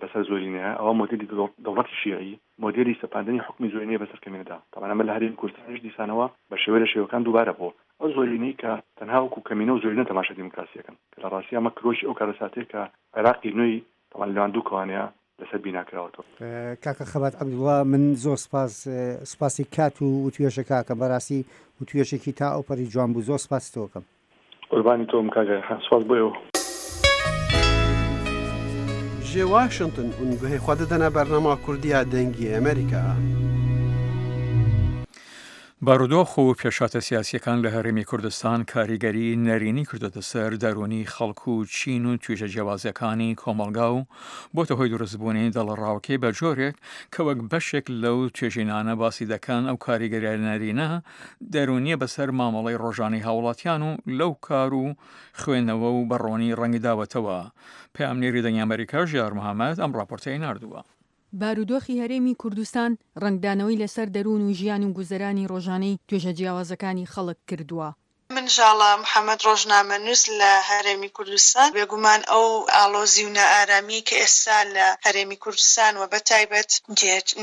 بەسەر زۆرینەیە ئەوە مۆدێلی دەوڵەتی شیعی مۆدێلی سەپاندنی حوکمی زۆرینەیە بەسەر کەمینەدا تەبعەن ئەمە لە هەرێمی کوردستانیش دیسانەوە بە شێوەی لە شێوەکان دووبارە بووە. ئەو زۆرینەی کە تەنها وەکو کەمینە و زۆرینە تەماشای دیموکراسی ئەکەن کە لە ڕاستیا ئەمە کرۆکی ئەو کارەساتەیە کە عێراقی نوێی تەبعەن لەنێوان دوو کەوانەیە لەسەر بینا کراوەتەوە. کاکە خەبات عەبدوڵا من زۆر سپاس سپاسی کات و وتوێژەکە ئەکەم بەراستی وتوێژێکی تا ئەوپەری جوان بوو زۆر سپاسی تۆ ئەکەم. قوربانی تۆم کاک ڕێحان سوپاس بۆ ئێوە. Ji Washington hûn guhê xwe didine bernama Kurdî ya Dengê Amerîka. بارودۆخ و پێشهاتە سیاسییەکان لە هەرێمی کوردستان کاریگەری نەرێنی کردۆتە سەر دەروونی خەڵک و چین و توێژە جیاوازەکانی کۆمەڵگا و بۆتە هۆی دروستبوونی دڵەڕاوکێ بە جۆرێک کە وەک بەشێک لەو توێژینانە باسی دەکەن ئەو کاریگەریە نەرێنە دەروونیە بەسەر مامەڵەی ڕۆژانەی هاوڵاتیان و لەو کار و خوێندنەوە و بە ڕۆنی ڕەنگی داوەتەوە. پەیامنێری دەنگی ئەمەریکا ژیار محەمەد ئەم ڕاپۆرتەی ناردووە. بارودۆخی هەرێمی کوردستان ڕەنگدانەوەی لەسەر دەروون و ژیان و گوزەرانی ڕۆژانەی توێژە جیاوازەکانی خەڵک کردووە. من ژاڵە محەمەد ڕۆژنامەنووس لە هەرێمی کوردستان، بێگومان ئەو ئاڵۆزی و نائارامیەی کە ئێستا لە هەرێمی کوردستان و بەتایبەت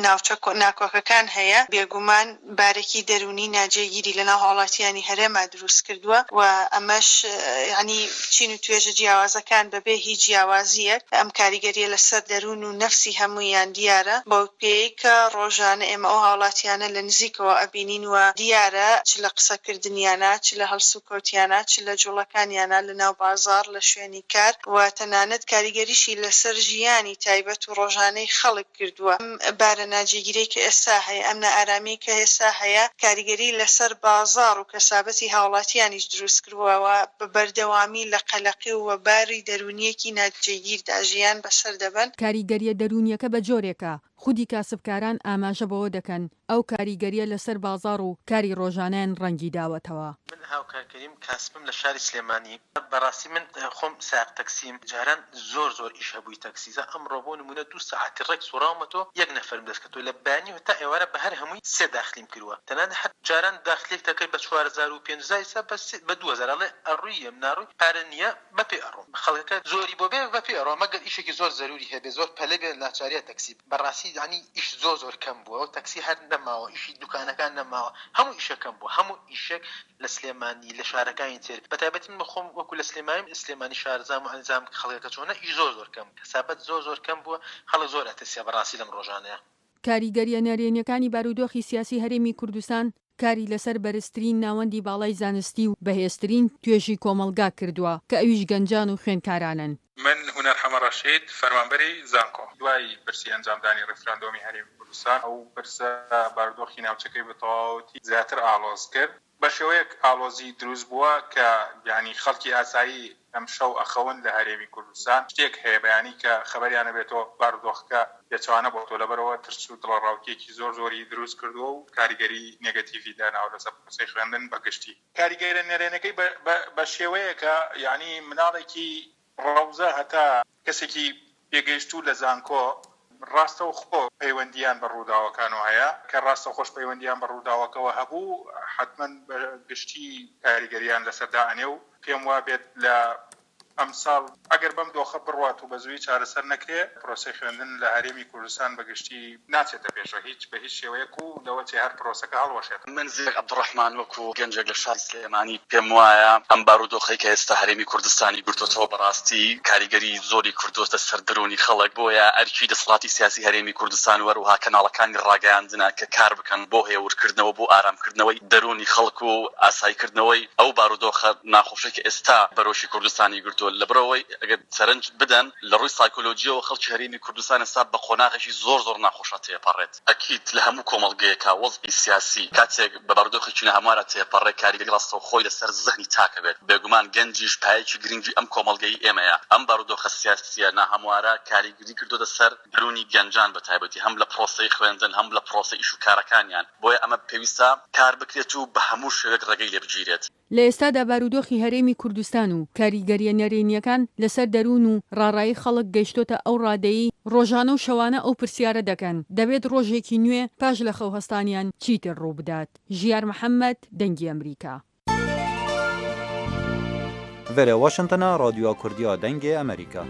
ناوچە ناکۆکەکان هەیە بێگومان بارێکی دەروونی ناجێگیری لەناو هاوڵاتیانی هەرێما دروست کردووە و ئەمەش یانی چین و توێژە جیاوازەکان بەبێ هیچ جیاوازییەک ئەم کاریگەرییە لەسەر دەروون و نەفسی هەموویان دیارە بەو پێیەی کە ڕۆژانە ئێمە ئەو هاوڵاتیانە لە نزیکەوە ئەبینین و دیارە چ لە قسەکردنیانا چ لە هەڵسوکەوتیانا چ لە جوڵەکانیانا لەناو بازاڕ لە شوێنی کار و تەنانەت کاریگەریشی لەسەر ژیانی تایبەت و ڕۆژانەی خەڵک کردووە. ئەم بارە ناجێگیرەی کە ئێستا هەیە، ئەم نائارامیەی کە ئێستا هەیە، کاریگەری لەسەر بازاڕ و کەسابەتی هاوڵاتیانیش دروست کردووە و بە بەردەوامی لە قەلەقی و باری دەروونییەکی ناجێگیردا ژیان بەسەر دەبەن. کاریگەرییە دەروونییەکە بە جۆرێکە، خودی کاسبکاران ئاماژە بەوە دەکەن، ئەو کاریگەرییە لەسەر بازاڕ و کاری ڕۆژانەیان ڕەنگی داوەتەوە. من هاوکار کەریم کاسبم لە شاری سلێمانی. بەڕاستی من خۆم سایەق تەکسیم جاران زۆر زۆر ئیش هەبووی تەکسی جا ئەمڕۆ بۆ نموونە دوو سەعاتی ڕێک سوڕاومەتۆ یەک نەفەرم دەست کەتووە لە بەیانیەوە تا ئێوارە بە هەر هەمووی سێ داخلیم کرووە تەنانەت هەر جاران داخلیەک دەکرد بە 4000 و 5000 ئیستا بە سێ بە 2000 ئەڵێ ئەڕوی یەم ناڕوی پارە نییە بە پێ ئەڕۆم خەڵکەکە زۆری بۆ بێ بە پێ ئەڕۆم مەگەر ئیشێکی زۆر زەروری هەبێ زۆر پەلە بێ ناچاریە تەکسی بەڕاستی یانی ئیش زۆر زۆر کەم بووە و تەکسی هەر نەماوە ئیشی دوکانەکان نەماوە هەموو ئیشە کەم بووە هەموو ئیشێک لە سلێمانی لە شارەکانی تر بە تایبەتی من خۆم وەکو لە سلێمانیم سلێمانی شارەزام و ئەزانم خەڵکەکە چۆنە ئیش زۆر زۆر کەم کەسابەت زۆر زۆر کەم بووە خەڵک زۆر ئەترسێ بەڕاستی لەم ڕۆژانەیا. کاریگەرییە نەرێنییەکانی بارودۆخی سیاسی هەرێمی کوردستان کاری لەسەر بەرزترین ناوەندی باڵای زانستی و بەهێزترین توێژی کۆمەڵگا کردووە کە ئەویش گەنجان و خوێندکارانن. من هونەر حەمە ڕەشید، فەرمانبەری زانکۆ. دوای پرسی ئەنجامدانی ڕیفراندۆمی هەرێمی کوردستان، ئەو پرسە بارودۆخی ناوچەکەی بە تەواوەتی زیاتر ئاڵۆز کرد. بە شێوەیەک ئاڵۆزی دروست بووە کە یانی خەڵکی ئاسایی ئەمشەو ئەخەون لە هەرێمی کوردستان، شتێک هەیە بەیانی کە خەبەریان ئەبێتەوە بارودۆخەکە پێچەوانە بۆتەوە، لەبەرئەوە ترس و دڵەڕاوکێکی زۆر زۆری دروست کردووە و کاریگەری نێگەتیڤی داناوە لەسەر پرۆسەی خوێندن بە گشتی. کاریگەرە نەرێنەکەی بە شێوەیەکە یانی مناڵێکی ڕەوزە هەتا کەسێکی پێگەیشتوو لە زانکۆ ڕاستەوخۆ پەیوەندییان بە ڕووداوەکانەوە هەیە، کە ڕاستەوخۆش پەیوەندییان بە ڕووداوەکەوە هەبوو حەتمەن بە گشتی کاریگەرییان لەسەر دائەنێ و پێم وابێت لە ئەمساڵ ئەگەر بەم دۆخە بڕوات و بە زوویی چارەسەر نەکرێ، پرۆسەی خوێندن لە هەرێمی کوردستان بە گشتی ناچێتە پێشەوە هیچ بە هیچ شێوەیەک و لەوەچێ هەر پرۆسەکە هەڵوەشێتەوە. من زیرەک عەبدولڕەحمان وەکو گەنجێک لە شاری سلێمانی پێم وایە ئەم بارودۆخەی کە ئێستا هەرێمی کوردستانی گرتۆتەوە بەڕاستی کاریگەری زۆری کردۆتە سەر دەروونی خەڵک بۆیە ئەرکی دەسەڵاتی سیاسی هەرێمی کوردستان و هەروەها کەناڵەکانی ڕاگەیاندنە کە کار بکەن بۆ هێورکردنەوە بۆ ئارامکردنەوەی دەروونی خەڵک و ئاساییکردنەوەی ئەو بارودۆخە ناخۆشەی کە ئێستا بەرۆکی کوردستانی گرتووە لەبەرئەوەی ئەگەر سەرنج بدەن لە ڕووی سایکۆلۆجییەوە خەڵکی هەرێمی کوردستان ئێستا بە قۆناغێکی زۆر زۆر ناخۆشا تێپەڕێت. ئەکید لە هەموو کۆمەڵگەیەکا وەزعی سیاسی کاتێک بە بارودۆخێکی ناهەموارا تێپەڕێ کاریگەری ڕاستەوخۆی لەسەر زەهنی تاک ئەبێت. بێگومان گەنجیش پایەکی گرنگی ئەم کۆمەڵگەی ئێمەیە. ئەم بارودۆخە سیاسییە ناهەموارە کاریگری کردۆتە سەر دەروونی گەنجان بە تایبەتی هەم لە پڕۆسەی خوێندن هەم لە پڕۆسەی ئیش و کارەکانیان. بۆیە ئەمە پێویستە کار بکرێت و بە هەموو شێوەیەک ڕێگەی لێ بگیرێت. لە ئێستادا بارودۆخی هەرێمی کوردستان و کاریگەرییە نەرێنییەکان لەسەر دەروون و ڕاڕایی خەڵک گەیشتۆتە ئەو ڕادەیەی ڕۆژانە و شەوانە ئەو پرسیارە دەکەن دەبێت ڕۆژێکی نوێ پاش لە خەو هەستانیان چیتر ڕووبدات؟ ژیار محەمەد، دەنگی ئەمریکا. Vere Washingtona Radyoya Kurdî ya Dengê Amerîka.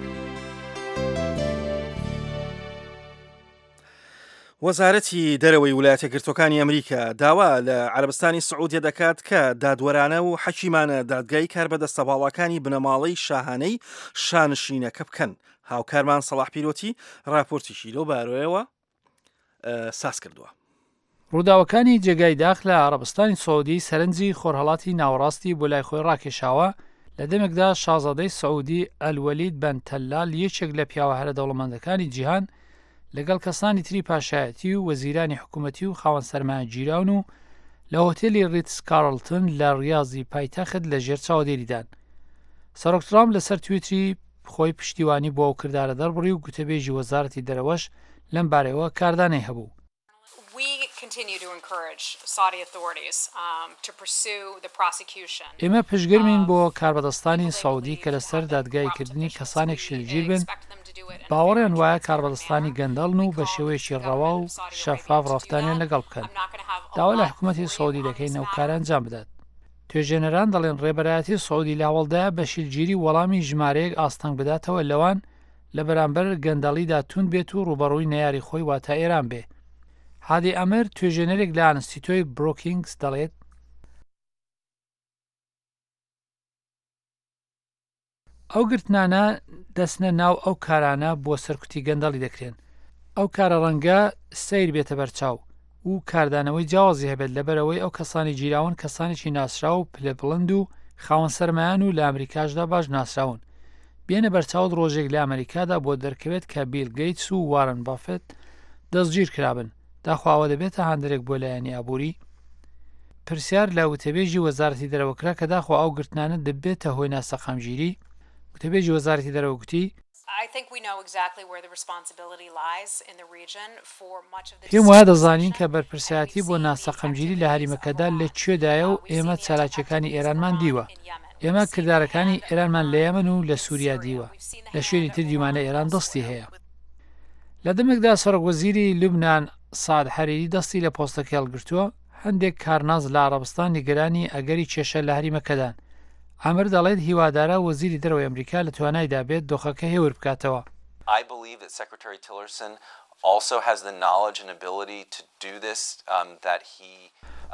وەزارەتی دەرەوەی ولایەتەکگرتووەکانی ئەمریکا داوا لە عەرەبستانی سعودیە دەکات کە دادوەرانە و حەکیمانە دادگای کاربەدەستە باڵاکانی بنەماڵەی شاهانەی شانشینەکە بکەن. هاوکارمان سەڵاح پیرۆتی راپۆرتیکی لەو بارەیەوە ساز کردووە. ڕووداوەکانی جێگای داخ لە عەڕەبستانی سعودی سەرنجی خۆرهەڵاتی ناوەڕاستی بۆ لای خۆی ڕاکێشاوە، لە دەمێکدا شازادەی سعودی ئەلوەلید بەن تەلال یەکێک لە پیاوە هەرە دەوڵەمەندەکانی جیهان لەگەڵ کەسانی تری پاشایەتی و وەزیرانی حکوومەتی و خاوەن سەرمایە گیراون و لە هۆتێلی ڕیتس کارڵتن لە ڕیازی پایتەخت لە ژێر چاودێریدان. سەرۆک ترامپ لەسەر تویتری خۆی پشتیوانی بۆ ئەو کردارە دەربڕی و گوتەبێژی وەزارەتی دەرەوەش لەم بارەیەوە کاردانەی هەبوو. ئێمە پشتگەرمین بۆ کاربەدەستانی سعودی کە لەسەر دادگاییکردنی کەسانێک شلگیر بن باوەڕیان وایە کاربەدەستانی گەندەڵن و بە شێوەیەکی ڕەوا و شەفاف ڕەفتاریان لەگەڵ بکەن. داوا لە حکومەتی سعودی دەکەین ئەو کارە ئەنجام بدات. توێژێنەران دەڵێن ڕێبەرایەتی سعودی لە هەوڵدایە بە شلگیری وەڵامی ژمارەیەک ئاستەنگ بداتەوە لەوان لە بەرامبەر گەندەڵیدا توند بێت و ڕووبەڕووی نەیاری خۆی واتە ئێران بێ. هادی ئەمر، توێژێنەرێک لە ئەنستیتۆی بروکینگز دەڵێت، ئەو گرتنانە دەچنە ناو ئەو کارانە بۆ سەرکوتی گەندەڵی دەکرێن. ئەو کارە ڕەنگە سەیر بێتە بەرچاو و کاردانەوەی جیاوازی هەبێت لەبەرئەوەی ئەو کەسانەی گیراون کەسانێکی ناسراو و پلە بڵند و خاوەن سەرمایەن و لە ئەمریکاشدا باش ناسراون. بێنە بەرچاوت ڕۆژێک لە ئەمەریکادا بۆت دەرکەوێت کە بیل گەیتس و وارن بافێت دەستگیر کرابن، داخۆ ئەوە دەبێتە هاندەرێک بۆ لایەنی ئابووری؟ پرسیار لە وتەبێژی وەزارەتی دەرەوە کرا کە داخۆ ئەو گرتنانە دەبێتە هۆی ناسەقامگیری؟ وتەبێژی وەزارەتی دەرەوە گوتی، پێم وایە دەزانین کە بەرپرسایەتی بۆ ناسەقامگیری لە هەریمەکەدا لە کوێدایە و ئێمە چالاکییەکانی ئێرانمان دیوە. ئێمە کردارەکانی ئێرانمان لە یەمەن و لە سووریا دیوە، لە شوێنی تر دیومانە ئێران دەستی هەیە. لە دەمێکدا سەرۆکوەزیری لوبنان سەعد حەریری دەستی لە پۆستەکەی هەڵگرتووە، هەندێک کارناس لە عەڕەبستان نیگەرانی ئەگەری کێشە لە هەریمەکەدان. عامر دەڵێت هیوادارە وەزیری دەرەوەی ئەمریکا لە توانایدا بێت دۆخەکە هێور بکاتەوە.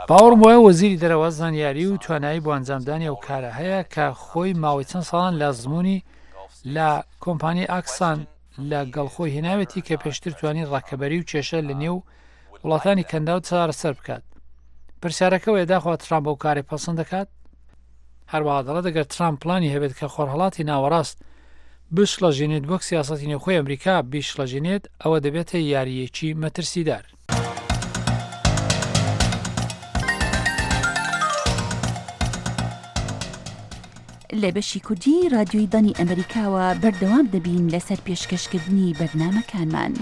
باوەڕم وایە وەزیری دەرەوە زانیاری و توانایی بۆ ئەنجامدانی ئەو کارە هەیە کە خۆی ماوەی چەند ساڵان لە ئەزموونی لە کۆمپانیای ئاکسان لە گەڵ خۆی هێناوێتی کە پێشتر توانی ڕەکەبەری و کێشە لە نێو وڵاتانی کەنداو چارەسەر بکات. پرسیارەکە ئەوەیە داخوا ترامپ ئەو کارەی پەسەند دەکات؟ هەروەها دەڵێت ئەگەر ترامپ پلانی هەبێت کە خۆرهەڵاتی ناوەڕاست بشڵەژێنێت وەک سیاسەتی نێوخۆی ئەمریکا بیشڵەژێنێت ئەوە دەبێتە یارییەکی مەترسیدار. لە بەشی کوردی رادیۆی دەنگی ئەمریکاوە بەردەوام دەبین لەسەر پێشکەشکردنی بەرنامەکانمان.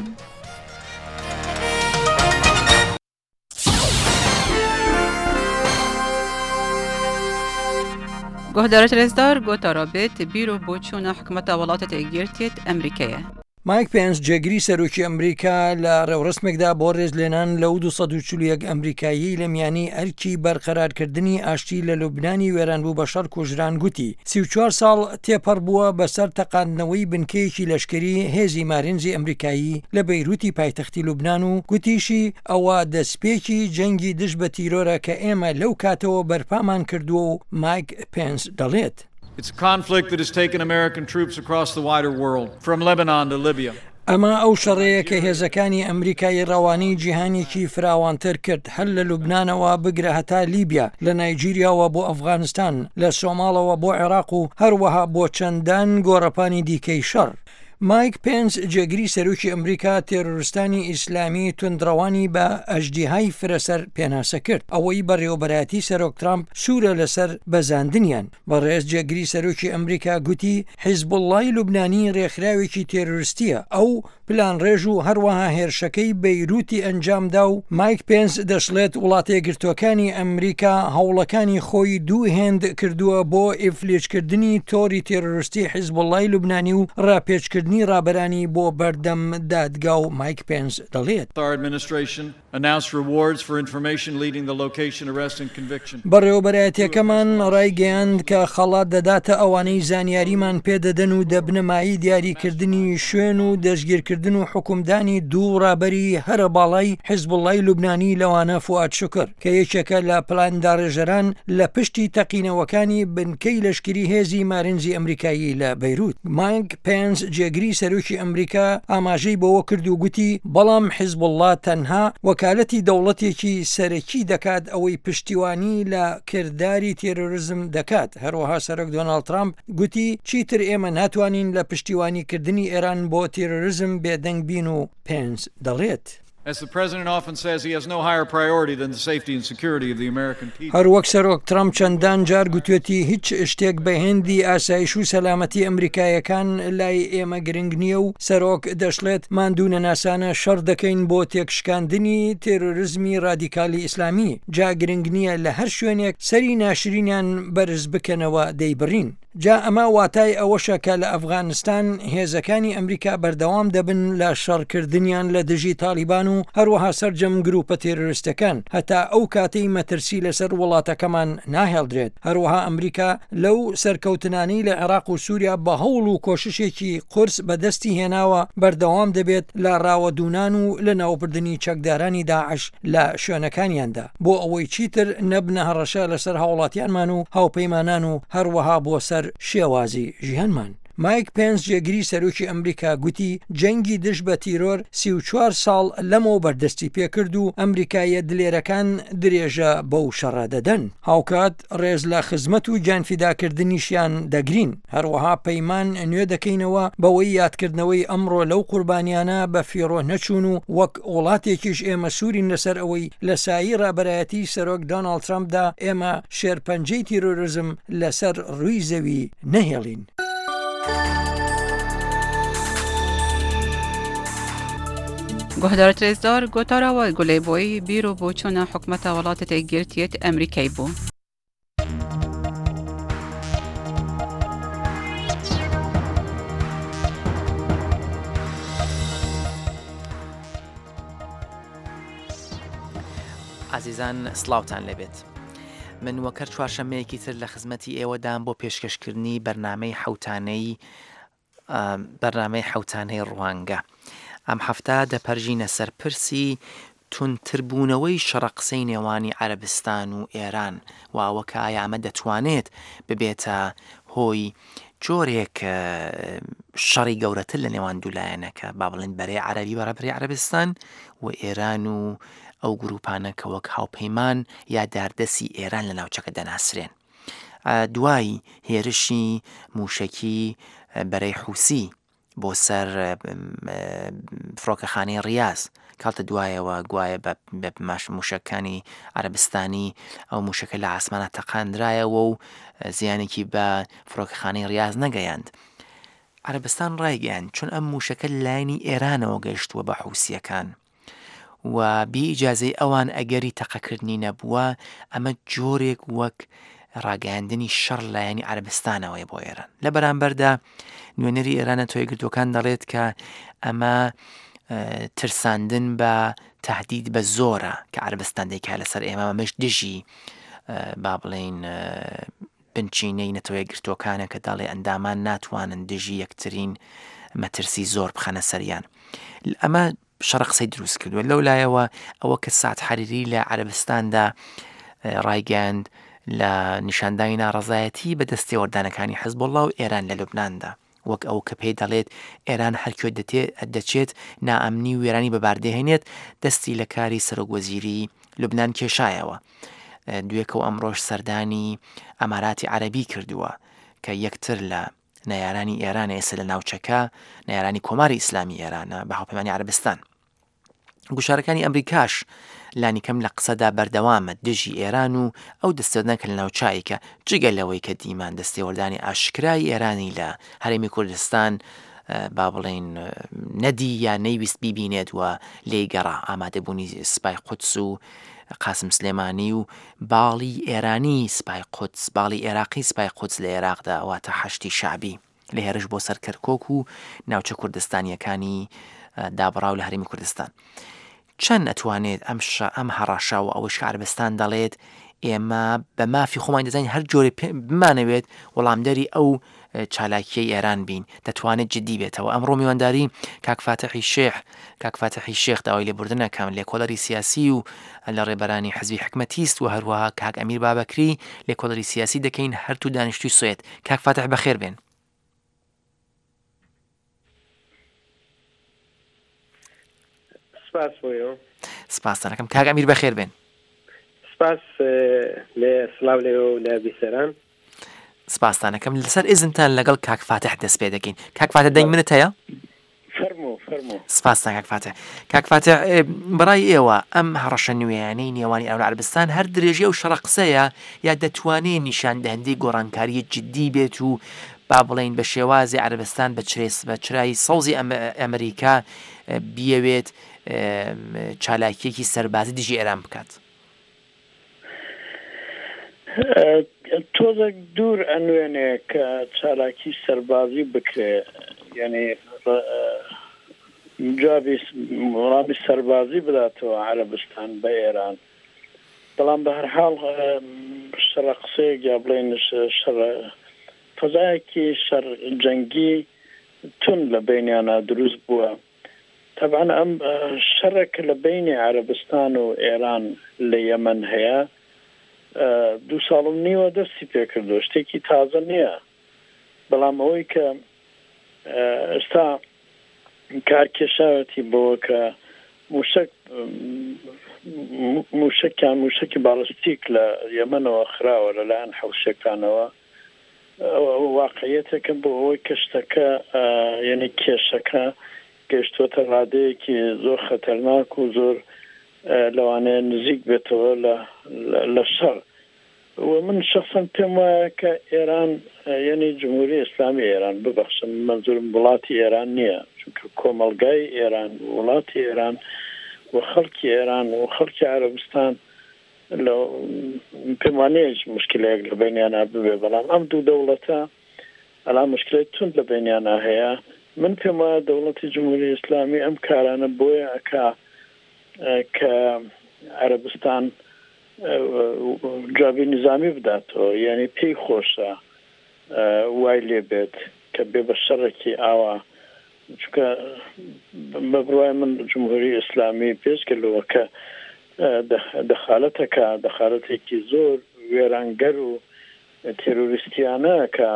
گۆهدارێت رێزدار گۆتارا بێت بیر و بۆچوونە حکومەتە وڵاتە یەکگرتیێت ئەمریکەیە. مایک پێنس جێگری سەرۆکی ئەمریکا لە ڕێوڕەسمێکدا بۆ ڕێزلێنان لەو 241 ئەمریکاییەی لە میانی ئەرکی بەرقەرارکردنی ئاشتی لە لوبنانی وێرانبوو بە شەڕ کوژران گوتی 34 ساڵ تێپەڕ بووە بەسەر تەقاندنەوەی بنکەیەکی لەشکری هێزی مارینزی ئەمریکایی لە بەیروتی پایتەختی لوبنان و گوتیشی ئەوە دەستپێکی جەنگی دژ بە تیرۆرە کە ئێمە لەو کاتەوە بەرپامان کردووە و مایک پێنس دەڵێت. It's a conflict that has taken American troops across the wider world, from Lebanon to Libya. ئەمە ئەو شەڕەیە کە هێزەکانی ئەمریکای ڕەوانەی جیهانێکی فراوانتر کرد، هەر لە لوبنانەوە بگرە هەتا لیبیا، لە نایجیریاوە بۆ ئەفغانستان، لە سۆماڵەوە بۆ عێراق و هەروەها بۆ چەندان گۆڕەپانی دیکەی شەڕ. مایک پێنس، جێگری سەرۆکی ئەمریکا، تێرۆرستانی ئیسلامی توندڕەوانی بە ئەژدیهای فرەسەر پێناسە کرد، ئەوەی بەڕێوەبەرایەتی سەرۆک ترامپ سوورە لەسەر بەزاندنیان. بەڕێز جێگری سەرۆکی ئەمریکا گوتی، حیزبوڵڵای لوبنانی رێکخراوێکی تێرۆرستییە، ئەو پلانڕێژ و هەروەها هێرشەکەی بەیروتی ئەنجامدا و مایک پێنس دەشڵێت وڵاتەیەکگرتووەکانی ئەمریکا هەوڵەکانی خۆی دوو هێند کردووە بۆ ئیفلیجکردنی تۆری تێرۆرستی حیزبوڵڵای لوبنانی و راپێچکردنی رابەرانی بۆ بەردەم دادگا و مایک پێنس دەڵێت. Our administration. Announced rewards for information leading the location, arrest and conviction. بەڕێوەبەرایەتیەکەمان ڕایگەیاند کە خەڵات دەداتە ئەوانەی زانیاریمان پێدەدەن و دەبنە مایەی دیاریکردنی شوێن و دەستگیرکردن و حوکمدانی دوو ڕابەری هەرە باڵای حیزبوڵڵای لوبنانی لەوانە فوئاد شوکر کە یەکێکە لە پلانداڕێژەران لە پشتی تەقینەوەکانی بنکەی لەشکری هێزی مارینزی ئەمریکایی لە بەیروت. مایک پێنس جێگری سەرۆکی ئەمریکا ئاماژەی بەوە کرد و گوتی، بەڵام حیزبوڵڵا تەنها وەکالەتی دەوڵەتێکی سەرەکی دەکات ئەوەی پشتیوانی لە کرداری تێرۆرزم دەکات. هەروەها سەرۆک دۆناڵد ترامپ گوتی، چیتر ئێمە ناتوانین لە پشتیوانیکردنی ئێران بۆ تێرۆرزم بێدەنگ بین و پێنس دەڵێت. هەروەک سەرۆک ترەمپ چەندان جار گوتوێتی هیچ شتێک بە هێندی ئاسایش و سەلامەتی ئەمریکایەکان لای ئێمە گرنگ نییە و سەرۆک دەشڵێت ماندوونەناسانە شەڕ دەکەین بۆ تێکشکاندنی تێرۆرزمی ڕادیکالی ئیسلامی جا گرنگ نییە لە هەر شوێنێک سەری ناشرینیان بەرز بکەنەوە دەیبڕین. جا ئەمە واتای ئەوەشە کە لە ئەفغانستان هێزەکانی ئەمریکا بەردەوام دەبن لە شەڕکردنیان لە دژی تاڵیبان و هەروەها سەرجەم گروپە تێرۆریستەکان هەتا ئەو کاتەی مەترسی لەسەر وڵاتەکەمان ناهێڵدرێت. هەروەها ئەمریکا لەو سەرکەوتنانەی لە عێراق و سوریا بە هەوڵ و کۆششێکی قورس بەدەستی هێناوە بەردەوام دەبێت لە ڕاوەدوونان و لەناوبردنی چەکدارانی داعش لە شوێنەکانیاندا بۆ ئەوەی چیتر نەبنە هەڕەشە لەسەر هاوڵاتیانمان و هاوپەیمانان و هەروەها بۆ سەر شێوازی ژیانمان. مایک پێنس جێگری سەرۆکی ئەمریکا گوتی جەنگی دژ بە تیرۆر 34 ساڵ لەمەوبەر دەستی پێکرد و ئەمریکاییە دلێرەکان درێژە بەو شەڕە دەدەن. هاوکات ڕێز لە خزمەت و گیانفیداکردنیشیان دەگرین. هەروەها پەیمان نوێ دەکەینەوە بەوەی یادکردنەوەی ئەمڕۆ لەو قوربانیانە بە فیڕۆ نەچوون و وەک وڵاتێکیش ئێمە سوورین لەسەر ئەوەی لە سایەی ڕابەرایەتیی سەرۆک دۆناڵد ترەمپدا ئێمە شێرپەنجەی تیرۆرزم لەسەر ڕووی زەوی نەهێڵین. گوهدارت رێزدار گۆتارا وە گولەی بۆی بیر و بۆچوونە حکومەتە وڵاتە یەکگرتیەت ئەمریکای بوو. ئازیزان سڵاوتان لێبێت من وەکەر چوارشەمەیەکی تر لە خزمەتی ئێوەدام بۆ پێشکەشکردنی بەرنمەی حوتانەی بەرنامەی حەوتانەی ڕوانگە ئەم هەفتە دەپەرژینە سەر پرسی توندتربوونەوەی شەڕە قسەی نێوانی عەرەبستان و ئێران و ئەوە کە ئایا ئەمە دەتوانێت ببێتە هۆی جۆرێک شەڕی گەورەتر لە نێوان دوو لایەنەکە با بڵێن بەرەی عەرەبی بە ڕابەری عەرەبستان و ئێران و ئەو گروپانە کە وەک هاوپەیمان یا داردەسی ئێران لە ناوچەکە دەناسرێن. دوای هێرشی مووشەکی بەرەی حوسی بۆ سەر فڕۆکەخانەی ڕیاز کاڵتە دوایەوە گوایە بە ماش موشەکانی عەربستانی ئەو موشەکە لە ئاسمانە تەقاندرایەوە و زیانێکی بە فڕۆکەخانەی ڕیاز نەگەیاند. عەربستان ڕایگەیاند چون ئەم موشەکە لایەنی ئێرانەوە گەیشتووە بە حوسیەکان. و بێ ئیجازەی ئەوان ئەگەری تەقەکردنی نەبووە، ئەمە جۆرێک وەک ڕاگەیاندنی شەڕ لایەنی عەرەبستانەوەیە بۆ ئێران. لە بەرامبەردا نوێنەری ئێران نەتەوە یەکگرتووەکان دەڵێت کە ئەمە ترساندن بە تهدید بە زۆرە کە عەرەبستان دەیکا لەسەر ئێمە ئەمەش دژی با بڵێین بنچینەی نەتەوە یەکگرتووەکانە کە دەڵێ ئەندامان ناتوانن دژی یەکترین مەترسی زۆر بخەنە سەریان. ئەمە شەڕە قسەی دروست کردووە لەو لایەوە ئەوە کە سعد حەریری لە عەرەبستاندا ڕایگەیاند لە نیشاندانی ناڕەزایەتی بە دەستێوەردانەکانی حزبوڵڵا و ئێران لە لوبناندا وەک ئەو کە پێی دەڵێت ئێران هەرکوێ دەچێت نائەمنی و وێرانی بەباردەهێنێت دەستی لە کاری سەرۆک وەزیری لوبناان کێشایەوە دوێکە و ئەمڕۆژ سەردانی ئەماراتی عەربی کردووە کە یەکتر لە نەیارانی ئێرانە ئێستا لە ناوچەکە نەیارانی کۆماری ئیسلامی ئێرانە بە هاوپەیمانی عەرەبستان گوشارەکانی ئەمریکاش لانیکەم لە قسەدا بەردەوامە دژی ئێران و ئەو دەستێوەردان کە لە ناوچایکە جگە لەوەی کە دیمان دەستێوەردانی ئاشکرای ئێرانی لە هەرێمی کوردستان با بڵێین نەدی یا نەیویست بیبینێت و لێی گەڕا ئامادەبوونی سپای قودس و قاسم سلێمانی و باڵی ئێرانی سپای قودس، باڵی ئێراقی سپای قودس لە ئێراقدا واتە حەشدی شەعبی لە هێرش بۆ سەر کەرکۆک و ناوچە کوردستانییەکانی دابڕاو لە هەرێمی کوردستان. چەند ئەتوانێت ئەم شە ئەم هەڕەشە و ئەوەش کە عەرەبستان دەڵێت ئێمە بە مافی خۆمان دەزانین هەر جۆرێ بمانەوێت وەڵامدەری ئەو چالاکیەی ئێران بین دەتوانێت جدی بێتەوە ئەمڕۆ میوانداری کاک فاتحی شێخ کاک فاتحی شێخ داوای لێبوردن ئەکەم لێکۆڵەری سیاسی و لە ڕێبەرانی حزبی حکمەتیست و هەروەها کاک ئەمیر بابەکری لێکۆڵەری سیاسی دەکەین هەرتوو دانیشتوی سوێد کاک فاتح بەخێر بێن. سپاس بۆ ئێوە. سپاستان ئەکەم کاک ئەمیر بەخێر بێن. سپاس لێ سڵاو لێوە و لە بیسەران. سپاستان ئەکەم لەسەر ئیزنتان لەگەڵ کاک فاتح دەست پێ دەکەین کاک فاتح دەنگ منت هەیە؟ فەرموو فەرموو. سپاستان کاک فاتح. کاک فاتح بەڕای ئێوە ئەم هەڕەشە نوێیانەی نێوانی ئێران و عەرەبستان هەر درێژەی ئەو شەڕە قسەیە یا دەتوانێ نیشاندەهندەی گۆڕانکاریی جدی بێت و با بڵێین بە شێوازی عەرەبستان بە چرێس بە چرای سەوزی ئەمریکا بیەوێت چالاکییەکی سەربازی دژی ئێران بکات؟ تۆزێک دوور ئەنوێنێ کە چالاکی سەربازی بکرێ یانی جوابی وەڵامی سەربازی بداتەوە عەرەبستان بە ئێران بەڵام بە هەرحاڵ شەڕە قسەیەک یا بڵێن شەڕە فەزایەکی شەڕ جەنگی توند لە بەینیانا دروست بووە. تەبعەن ئەم شەڕە کە لە بەینی عەرەبستان و ئێران لە یەمەن هەیە دوو ساڵ و نیوە دەستی پێکردووە شتێکی تازە نییە بەڵام ئەوەی کە ئێستا کار کێشاوەتی بەوە کە موشک موشکیان موشکی باڵستیک لە یەمەنەوە خراوە لەلایەن حوسیەکانەوە ئەوە واقعیەتێکە بۆ ئەوەی کە شتەکە یعنی کێشەکە گەیشتووەتە ڕادەیەکی زۆر خەتەرناک و زۆر لەوانەیە نزیک بێتەوە لە لە شەڕ و من شخصا پێم وایە کە ئێران یعنی جمهوری ئیسلامی ئێران ببەخشن مەنزورم وڵاتی ئێران نییە چونکە کۆمەڵگای ئێران وڵاتی ئێران و خەڵکی ئێران و خەڵکی عەرەبستان لە پێم وانیە هیچ موشکیلەیەک لە بەینیانا ببێ بەڵام ئەم دوو دەوڵەتە ئەلا موشکلەی توند لە بەینیانا هەیە من پێم وایە دەوڵەتی جمهوری ئیسلامی ئەم کارانە بۆیە ئەکا کە عەرەبستان جوابی نیزامی بداتەوە یعنی پێی خۆشە وای لێ بێت کە بێ بە شەڕێکی ئاوا چونکە بە بڕوای من جمهوری ئیسلامی بێجگە لەوە کە دەخالەتەکە دەخالەتێکی زۆر وێرانگەر و تێرۆریستیانە کە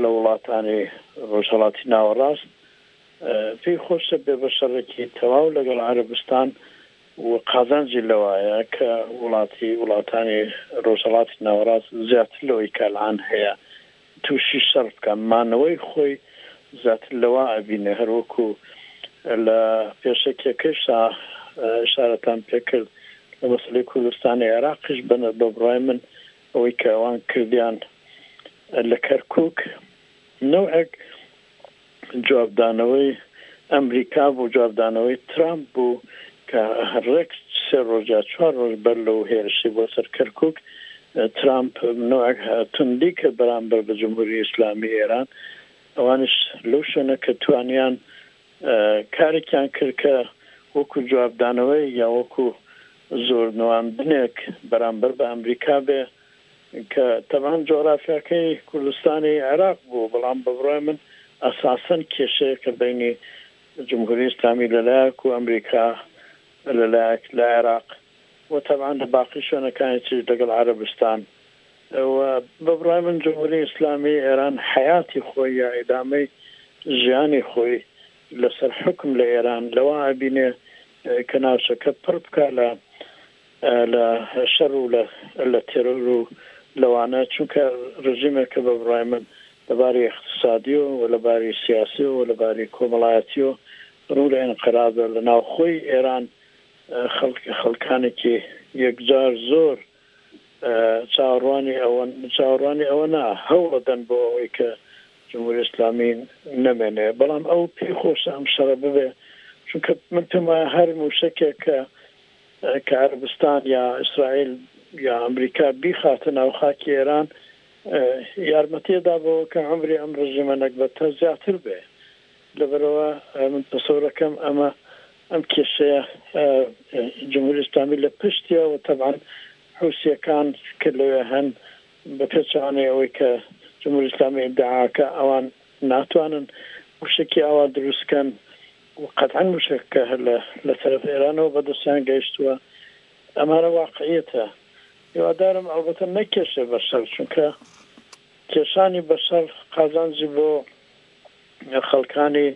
لە وڵاتانی ڕۆژهەڵاتی ناوەڕاست پێی خۆشە بێ بە شەڕێکی تەواو لەگەڵ عەرەبستان و قازانجی لەوایە کە وڵاتی وڵاتانی ڕۆژهەڵاتی ناوەڕاست زیاتر لەوەی کە الان هەیە تووشی شەڕ بکا، مانەوەی خۆی زیاتر لەوە ئەبینێ، هەر وەکوو لە پێشەکیەکەیشا ئیشارەتان پێ کرد لە مەسەلەی کوردستانی عێراقیش بە بە بڕوای من ئەوەی کە ئەوان کردیان لە کەرکووک نەوعێک جوابدانەوەی ئەمریکا بوو، جوابدانەوەی ترامپ بوو کە ڕێک سێ ڕۆژ یا چوار ڕۆژ بەر لەو هێرشی بۆ سەر کەرکووک ترامپ نەوعێک توندی کرد بەرامبەر بە جمهوری ئیسلامی ئێران، ئەوانیش لەو شوێنە کە توانیان کارێکیان کرد کە وەکوو جوابدانەوەی یا وەکوو زۆر نواندنێک بەرامبەر بە ئەمریکا بێ کە تەبعەن جوغرافیاکەی کوردستانی عێراق بوو، بەڵام بە بڕوای من ئەساسەن کێشەیەکە بەینی جمهوری ئیسلامی لە لایەک و ئەمریکا لە لایەک لە عێراق و تەبعەن لە باقی شوێنەکانی تریش لەگەڵ عەرەبستان و بە بڕوای من جمهوری ئیسلامی ئێران حەیاتی خۆی یا ئیدامەی ژیانی خۆی لەسەر حوکم لە ئێران لەوە ئەبینێ کە ناوچەکە پڕ بکا لە لە شەر و لە لە تێرۆر و لەوانە چونکە ڕژیمێکە بە بڕوای من لە باری ئیقتسادیەوە و لە باری سیاسیەوە و لە باری کۆمەڵایەتیەوە ڕوو لە ئینقرازە لە ناوخۆی ئێران خەڵک خەڵکانێکی یەکجار زۆر چاوەڕوانی ئەوەن چاوەڕوانی ئەوە نا هەوڵەدەن بۆ ئەوەی کە جمهوری ئیسلامی نەمێنێ بەڵام ئەو پێی خۆشە ئەم شەڕە ببێ چونکە من پێم وایە هەر مووشەکێک کە کە عەرەبستان یا ئیسرائیل یا ئەمریکا بیخاتە ناو خاکی ئێران یارمەتی ئەدا بەوە کە عومری ئەم ڕژیمە نەگبەتە زیاتر بێ لەبەرئەوە من تەسەورەکەم ئەمە. ئەم کێشەیە جمهوری ئیسلامی لە پشتیە و تەبعەن حوسیەکان کە لەوێ هەن بە پێچەوانەی ئەوەی کە جمهوری ئیسلامی ئیدعاکە ئەوان ناتوانن موشەکی ئاوا دروست کەن و قەتعەن موشەکەکە هەر لە لە تەرەف ئێرانەوە بە دەستیان گەیشتووە ئەمانە واقعیەتە هیوادارم ئەڵبەتە نەکێشێ بە شەر چونکە کێشانی بە شەڕ قازانجی بۆ خەڵکانی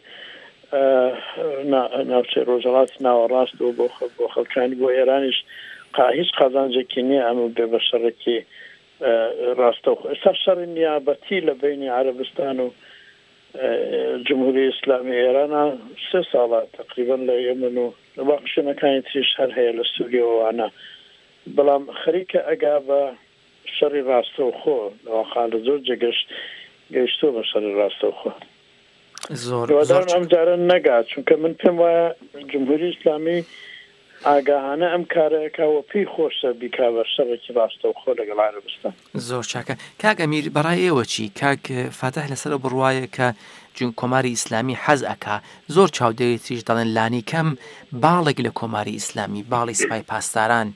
ناوچەی ڕۆژهەڵاتی ناوەڕاست و بۆ بۆ خەڵکانی بۆ ئێرانیش هیچ قازانجێکی نییە ئەمە بێ بە شەڕێکی ڕاستەوخۆ ئێستا شەڕی نیابەتی لە بینی عەرەبستان و جمهوری ئیسلامی ئێرانە سێ ساڵە تقریبا لە یەمن و لە باقی شوێنەکانی تریش هەر هەیە لە سووریە و ئەوانە بەڵام خەریکە ئەگا بە شەڕی ڕاستەوخۆ لە واقع لە زۆر جێگەش گەیشتووە بە شەڕی ڕاستەوخۆ. زۆر زۆر هیوادارم ئەم جارە نەگا چونکە من پێم وایە جمهوری ئیسلامی ئاگاهانە ئەم کارە ئەکا و پێی خۆشە بیکا بە شەڕێکی ڕاستەوخۆ لەگەڵ عەرەبستان. زۆر چاکە کاک ئەمیر بەڕای ئێوە چی؟ کاک فاتح لەسەر ئەو بڕوایە کە جون کۆماری ئیسلامی حەز ئەکا زۆر چاودێری تریش دەڵێن لانیکەم باڵێک لە کۆماری ئیسلامی باڵی سپای پاسداران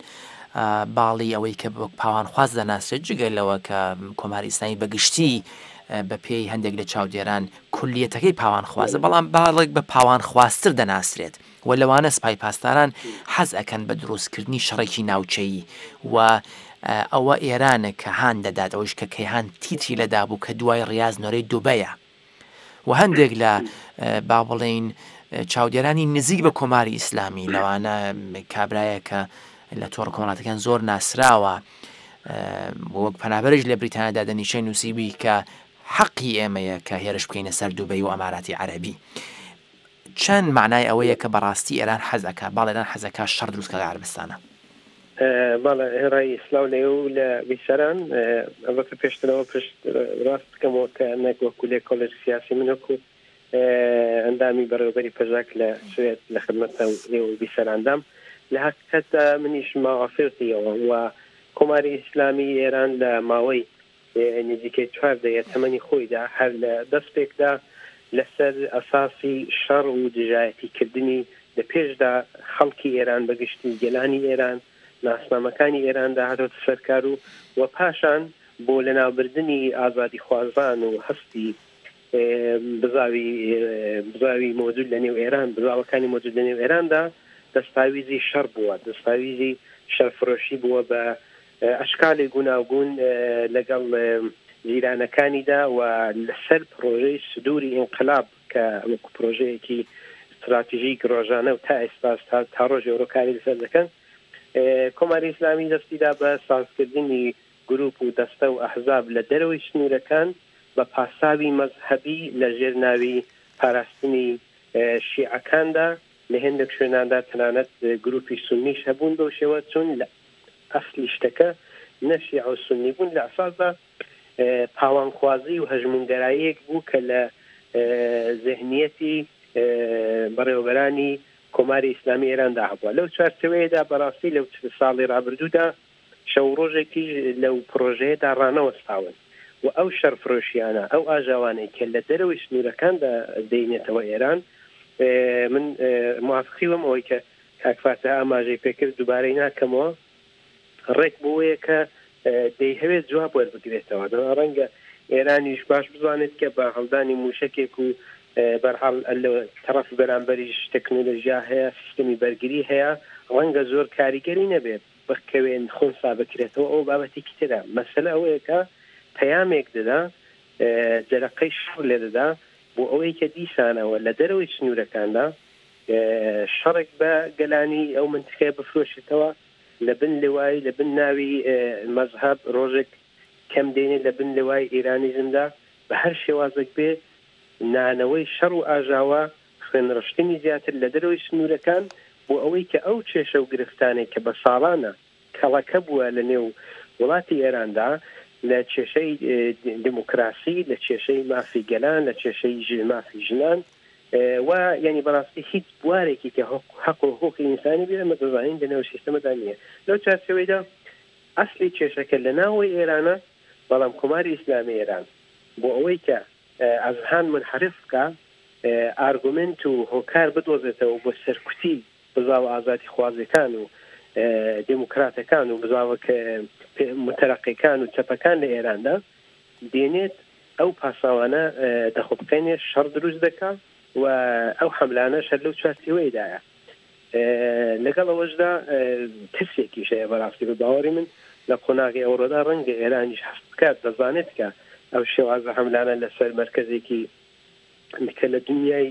باڵی ئەوەی کە وەک پاوانخواز دەناسرێت جگە لەوە کە کۆماری ئیسلامی بە گشتی بە پێی هەندێک لە چاودێران کولیەتەکەی پاوانخوازە بەڵام باڵێک بە پاوانخوازتر دەناسرێت و لەوانە سپای پاسداران حەز ئەکەن بە دروستکردنی شەڕێکی ناوچەیی و ئەوە ئێرانە کە هان دەدات ئەوەیش کە کەیهان تیتری لەدا بوو کە دوای ڕیاز نۆرەی دوبەیە و هەندێک لە با بڵێین چاودێرانی نزیک بە کۆماری ئیسلامی لەوانە کابرایە کە لە تۆڕ کۆمەڵاتەکان زۆر ناسراوە وەک پەنابەرش لە بریتانیادا دەنیشەی نووسیبی کە حەقی ئێمەیە کە هێرش بکەینە سەر دوبەی و ئەماراتی عەربی چەند مەعنای ئەوەیە کە بەڕاستی ئێران حەز ئەکا باڵ ئێران حەز ئەکا شەڕ دروست کا لە عەرەبستانا. بەڵێ هێڕای سلاو لە ئێوە و لە بیسەران. ئەلبەتە پێشتر ئەوە پشت ڕاست بکەمەوە کە نەک وەکوو لێکۆڵەری سیاسی من وەکوو ئەندامی بەڕێوەبەری پەژاک لە سوێد لە خدمەتتان ئێوە و بیسەراندام. لە هەقیقەتدا منیش ماوافیقی ئەوەم و کۆماری ئیسلامیی ئێران لە ماوەی نزیکەی چوار دەیە تەمەنی خۆیدا هەر لە دەسپێکدا لەسەر ئەساسی شەڕ و دژایەتی کردنی لە پێشدا خەڵکی ئێران بە گشتی گەلانی ئێران ناسنامەکانی ئێراندا هاتۆتە سەر کار و و پاشان بۆ لەناوبردنی ئازادیخوازان و هەستی بزاوی بزاوی مۆجود لە نێو ئێران بزاوەکانی مۆجود لە نێو ئێراندا دەستاویزی شەڕ بووە دەستاویزی شەرفرۆشی بووە بە ئەشکالی گوناوگون لەگەڵ جیرانەکانیدا و لەسەر پرۆژەی سدوری ئینقلاب کە وەکو پرۆژەیەکی ستراتیژیک ڕۆژانە و تا ئێستاش تا تا ڕۆژی ئەوڕۆ کاری لەسەر دەکەن کۆماری ئیسلامی دەستیدا بە سازکردنی گروپ و دەستە و ئەحزاب لە دەرەوەی سنوورەکان بە پاساوی مەزهەبی لە ژێر ناوی پاراستنی شیعەکاندا لە هێندێک شوێناندا تەنانەت گروپی سوننیش هەبوون بەو شێوە چون لە ئەسلی شتەکە نە شیعە و سوننی بوون لە ئەساسدا پاوانخوازی و هەژموونگەراییەک بوو کە لە زهنیەتی بەڕێوەبەرانی کۆماری ئیسلامی ئێراندا هەبووە لەو چوارچێوەیەدا بەڕاستی لەو ساڵی ڕابردوودا شەو و ڕۆژێکیش لەو پڕۆژەیەدا ڕانەوەستاون و ئەو شەڕفرۆشییانە، ئەو ئاژاوانەی کە لە دەرەوەی سنوورەکاندا دێنێتەوە ئێران، من موافقی وم ئەوەی کە کاک فاتح ئاماژەی پێکرد دووبارەی ناکەمەوە، ڕێک بۆیە کە دەیهەوێت جواب وەربگرێتەوە. دەنا ڕەنگە ئێرانیش باش بزانێت کە بە هەڵدانی مووشەکێک و بەرحاڵ لە تەڕەفی بەرامبەریش تەکنۆلۆژیا هەیە، سیستەمی بەرگری هەیە، ڕەنگە زۆر کاریگەری نەبێت. بکەوێن خونسا بکرێتەوە ئەوە بابەتێکی ترە مەسەلە ئەوەیە کە پەیامێک دەدا جەرەقەی شەڕ لێ دەدا بۆ ئەوەی کە دیسانەوە لە دەرەوەی سنوورەکاندا شەڕێک بە گەلانی ئەو منتیقەیە بفرۆشێتەوە لە بن لوای لە بن ناوی مەزهەب ڕۆژێک کەم دێنێ لە بن لوای ئیرانیزمدا بە هەر شێوازێک بێ نانەوەی شەڕ و ئاژاوە خوێنڕشتنی زیاتر لە دەرەوەی سنوورەکان بۆ ئەوەی کە ئەو کێشە و گرفتانەی کە بە ساڵانە کەڵەکە بووە لە نێو وڵاتی ئێراندا لە کێشەی دموکراسی، لە کێشەی مافی گەلان، لە کێشەی مافی ژنان و یانی بەڕاستی هیچ بوارێکی کە حەق و حقوقی ئینسانی بێ ئێمە دەزانین لە نێو سیستەمەدا نییە. لەو چوارچێوەیدا ئەسلی کێشەکە لە ناوەوەی ئێرانە، بەڵام کۆماری ئیسلامی ئێران بۆ ئەوەی کە ئەزهان مونحەرف بکا. ئارگومێنت و هۆکار بدۆزێتەوە بۆ سەرکوتی بزاوە ئازادیخوازەکان و دێموکراتەکان و بزاوە موتەرەقیەکان و چەپەکان لە ئێراندا دێنێت ئەو پاساوانە دەخوڵقێنێ، شەڕ دروست دەکا و ئەو حەملانەش هەر لەو چوارچێوەیەدایە. لەگەڵ ئەوەشدا ترسێکیش هەیە بەڕاستی بە باوەڕی من لە قۆناغی ئەوڕۆدا ڕەنگە ئێرانیش هەست بکات دەزانێت کە ئەو شێوازە حەملانە لەسەر مەرکەزێکی کە لە دنیای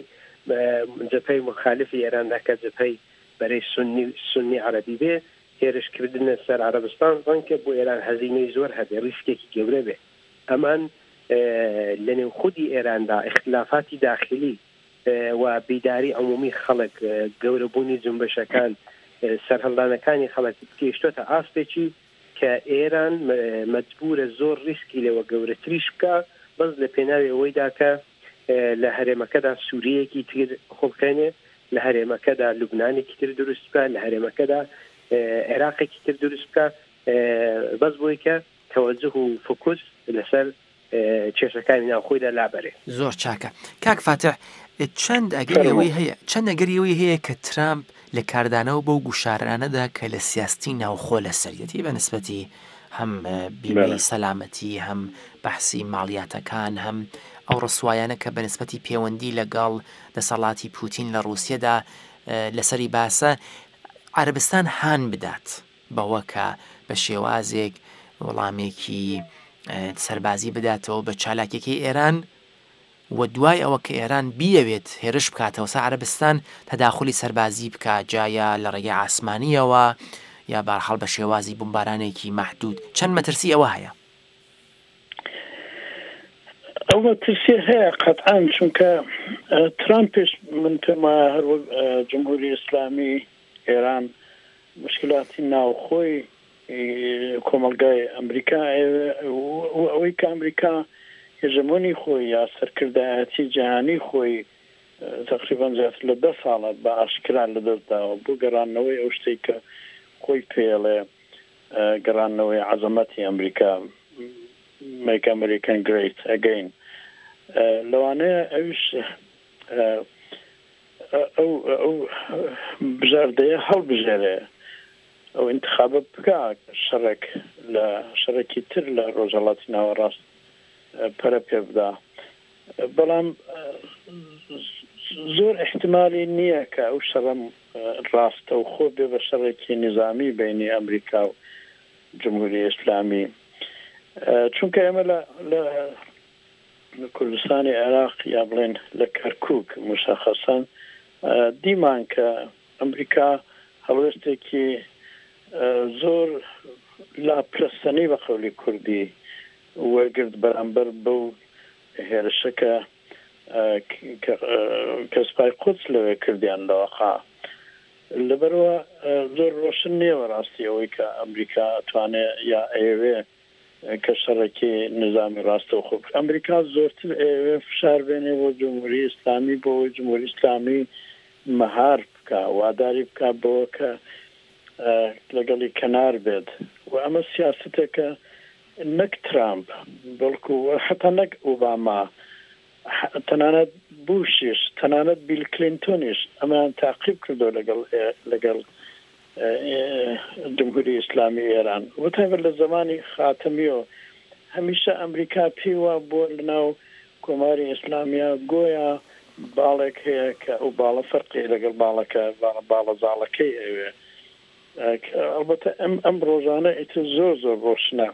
جەپەی مخالفی ئێراندا کە جەپەی بەرەی سنی سنی عەربی بێ هێرشکردنە سەر عەرەبستان ڕەنگە بۆ ئێران هەزینەی زۆر هەبێ ڕیسکێکی گەورە بێ ئەمان لە نێو خودی ئێراندا ئیختلافاتی داخلی و بیداری عمومی خەڵک، گەورەبوونی جونبشەکان، سەرهەڵدانەکانی خەڵک گەیشتۆتە ئاستێکی کە ئێران مەجبورە زۆر ڕیسکی لەوە گەورەتریش بکا بەس لە پێناوی ئەوەیدا کە لە هەرێمەکەدا سوریەیەکی تر بخوڵقێنێ، لە هەرێمەکەدا لوبنانێکی تر دروست بکا، لە هەرێمەکەدا عێراقێکی تر دروست بکا بەس بۆی کە تەوەجوه و فوکوس لەسەر کێشەکانی ناوخۆیدا لابەرێ. زۆر چاکە کاک فاتح چەند ئەگەری ئەوەی هەیە چەند ئەگەری ئەوەی هەیە کە ترامپ لە کاردانەوە بەو گوشارانەدا کە لە سیاستی ناوخۆ لەسەریەتی بە نسبەتی هەم بیمەی سەلامەتی هەم بەحسی ماڵیاتەکان هەم ئەو ڕسوایانە کە بە نسبەتی پێوەندی لەگەڵ دەسەڵاتی پوتین لە ڕووسیەدا لەسەری باسە عەرەبستان هان بدات بەوە کە بە شێوازێک وەڵامێکی سەربازی بداتەوە بە چالاکیەکەی ئێران و دوای ئەوە کە ئێران بیەوێت هێرش بکاتەوە سەر عەرەبستان تەداخولی سەربازی بکا جا یا لە ڕێگەی ئاسمانیەوە یا بەهەرحاڵ بە شێوازی بومبارانێکی مەحدود چەند مەترسی ئەوە هەیە؟ ئەو مەترسیە هەیە قەتعەن چونکە ترامپیش من پێم وایە هەر وەک جمهوری ئیسلامی ئێران موشکیلاتی ناوخۆی کۆمەڵگای ئەمریکا ئەیەوێ و ئەوەی کە ئەمریکا هێژەمۆنی خۆی یا سەرکردایەتی جیهانی خۆی تەقریبەن زیاتر لە دە ساڵە بە ئاشکرا لە دەست داوە بۆ گەڕاندنەوەی ئەو شتەی کە خۆی پێیەڵێ گەڕاندنەوەی عەزەمەتی ئەمریکا Make American Great Again لەوانەیە ئەویش ئەو ئەو بژاردەیە هەڵبژێرێ ئەو ئینتخابە بکا شەڕێک لە شەڕێکی تر لە ڕۆژهەڵاتی ناوەڕاست پەرە پێ بدا بەڵام زۆر ئیحتمالی نییە کە ئەو شەڕە ڕاستەوخۆ بێ بە شەڕێکی نیزامی بینی ئەمریکا و جمهوری ئیسلامی چونکە ئێمە لە لە کوردستانی عێراق یا بڵێن لە کەرکووک موشەخەسەن دیمان کە ئەمریکا هەڵوێستێکی زۆر لاپرەسەنی بە قەولی کوردی وەرگرت بەرامبەر بەو هێرشە کە کە سوپای قودس لەوێ کردیان لەوەقا لەبەرەوە زۆر ڕۆشن نییە بەڕاستی ئەوەی کە ئەمریکا ئەتوانێ یا ئەیەوێ کە شەڕێکی نیزامی ڕاستەوخۆ بکا. ئەمریکا زۆرتر ئەیەوێ فشار بێنێ بۆ جمهوری ئیسلامی بۆ ئەوەی جمهوری ئیسلامی مەهار بکا، واداری بکا بەوە کە لەگەڵی کەنار بێت و ئەمە سیاسەتێکە نەک ترامپ بەڵکو حەتا نەک ئوباما تەنانەت بوشیش تەنانەت بیل کلینتۆنیش ئەمەیان تاقیب کردووە لەگەڵ لەگەڵ جمهوری ئیسلامی ئێران و تایبەت لە زەمانی خاتەمیەوە هەمیشە ئەمریکا پێی وا بووە لەناو کۆماری ئیسلامیا گۆیا باڵێک هەیە کە ئەو باڵە فەرقی لەگەڵ باڵەکە باڵە زاڵەکەی ئەوێ ئەڵبەتە ئەم ئەم ڕۆژانە ئیتر زۆر زۆر ڕۆشنە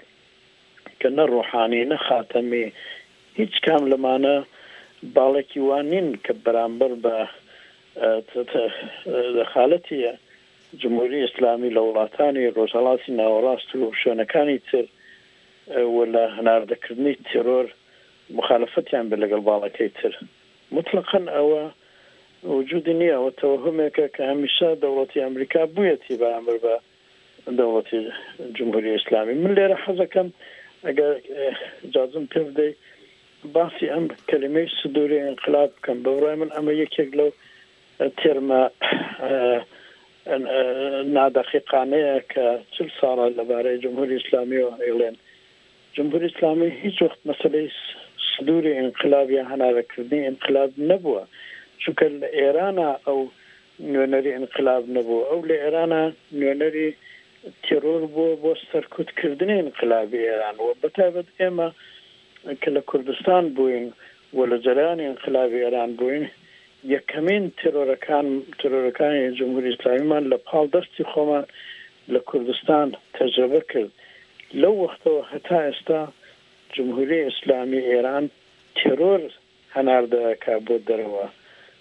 کە نە ڕۆحانی نە خاتەمی هیچ کام لەمانە باڵێکی وا نین کە بەرامبەر بە دەخالەتی جمهوری ئیسلامی لە وڵاتانی ڕۆژهەڵاتی ناوەڕاست و شوێنەکانی تر و لە هەناردەکردنی تێرۆر موخالەفەتیان بێت لەگەڵ باڵەکەی تر. موتڵەقەن ئەوە وجودی نییە، ئەوە تەوەهومێکە کە هەمیشە دەوڵەتی ئەمریکا بوویەتی بەرامبەر بە دەوڵەتی جمهوری ئیسلامی. من لێرە حەزەکەم ئەگەر ئیجازەم پێ بدەی باسی ئەم کەلیمەی سدوری ئینقلاب بکەم. بە بڕوای من ئەمە یەکێک لەو تێرمە نادەقیقانەیە کە چل ساڵە لەبارەی جمهوری ئیسلامیەوە ئەیڵێن. جمهوری ئیسلامی هیچ وەخت مەسەلەی سدوری ئینقلاب یا هەنارەکردنی ئینقلاب نەبووە چونکە لە ئێرانا ئەو نوێنەری ئینقلاب نەبووە ئەو لە ئێرانا نوێنەری تێرۆر بووە بۆ سەرکوت کردنی ئینقلابی ئێران و بەتایبەت ئێمە کە لە کوردستان بووین و لە جەرەیانی ئینقلابی ئێران بووین یەکەمین تێرۆرەکان تێرۆرەکانی جمهوری ئیسلامیمان لە پاڵ دەستی خۆمان لە کوردستان تەجرەبە کرد لەو وەختەوە هەتا ئێستا جمهوری ئیسلامی ئێران تێرۆر هەناردە ئەکا بۆ دەرەوە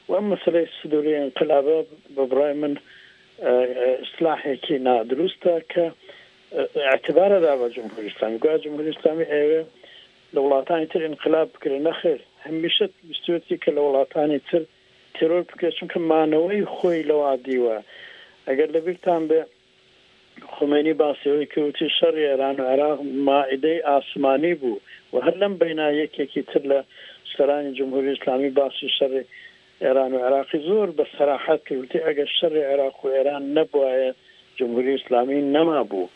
و ئەم مەسەلەی سدوری ئینقلابە بە بڕای من ئیستلاحێکی نادروستە کە ئیعتبار ئەدا بە جمهوری ئیسلامی گویا جمهوری ئیسلامی ئەیەوێ لە وڵاتانی تر ئینقلاب بکرێ نەخێر هەمیشە ویستویەتی کە لە وڵاتانی تر تێرۆر بکرێت چونکە مانەوەی خۆی لەوا دیوە ئەگەر لەبیرتان بێ خومەینی باسی ئەوەی کرد وتی شەڕی ئێران و عێراق مائیدەی ئاسمانی بوو و هەر لەم بەینا یەکێکی تر لە سەرانی جمهوری ئیسلامی باسی شەڕی ئێران و عێراقی زۆر بە سەراحەت کرد وتی ئەگەر شەڕی عێراق و ئێران نەبوایە جمهوری ئیسلامی نەمابوو.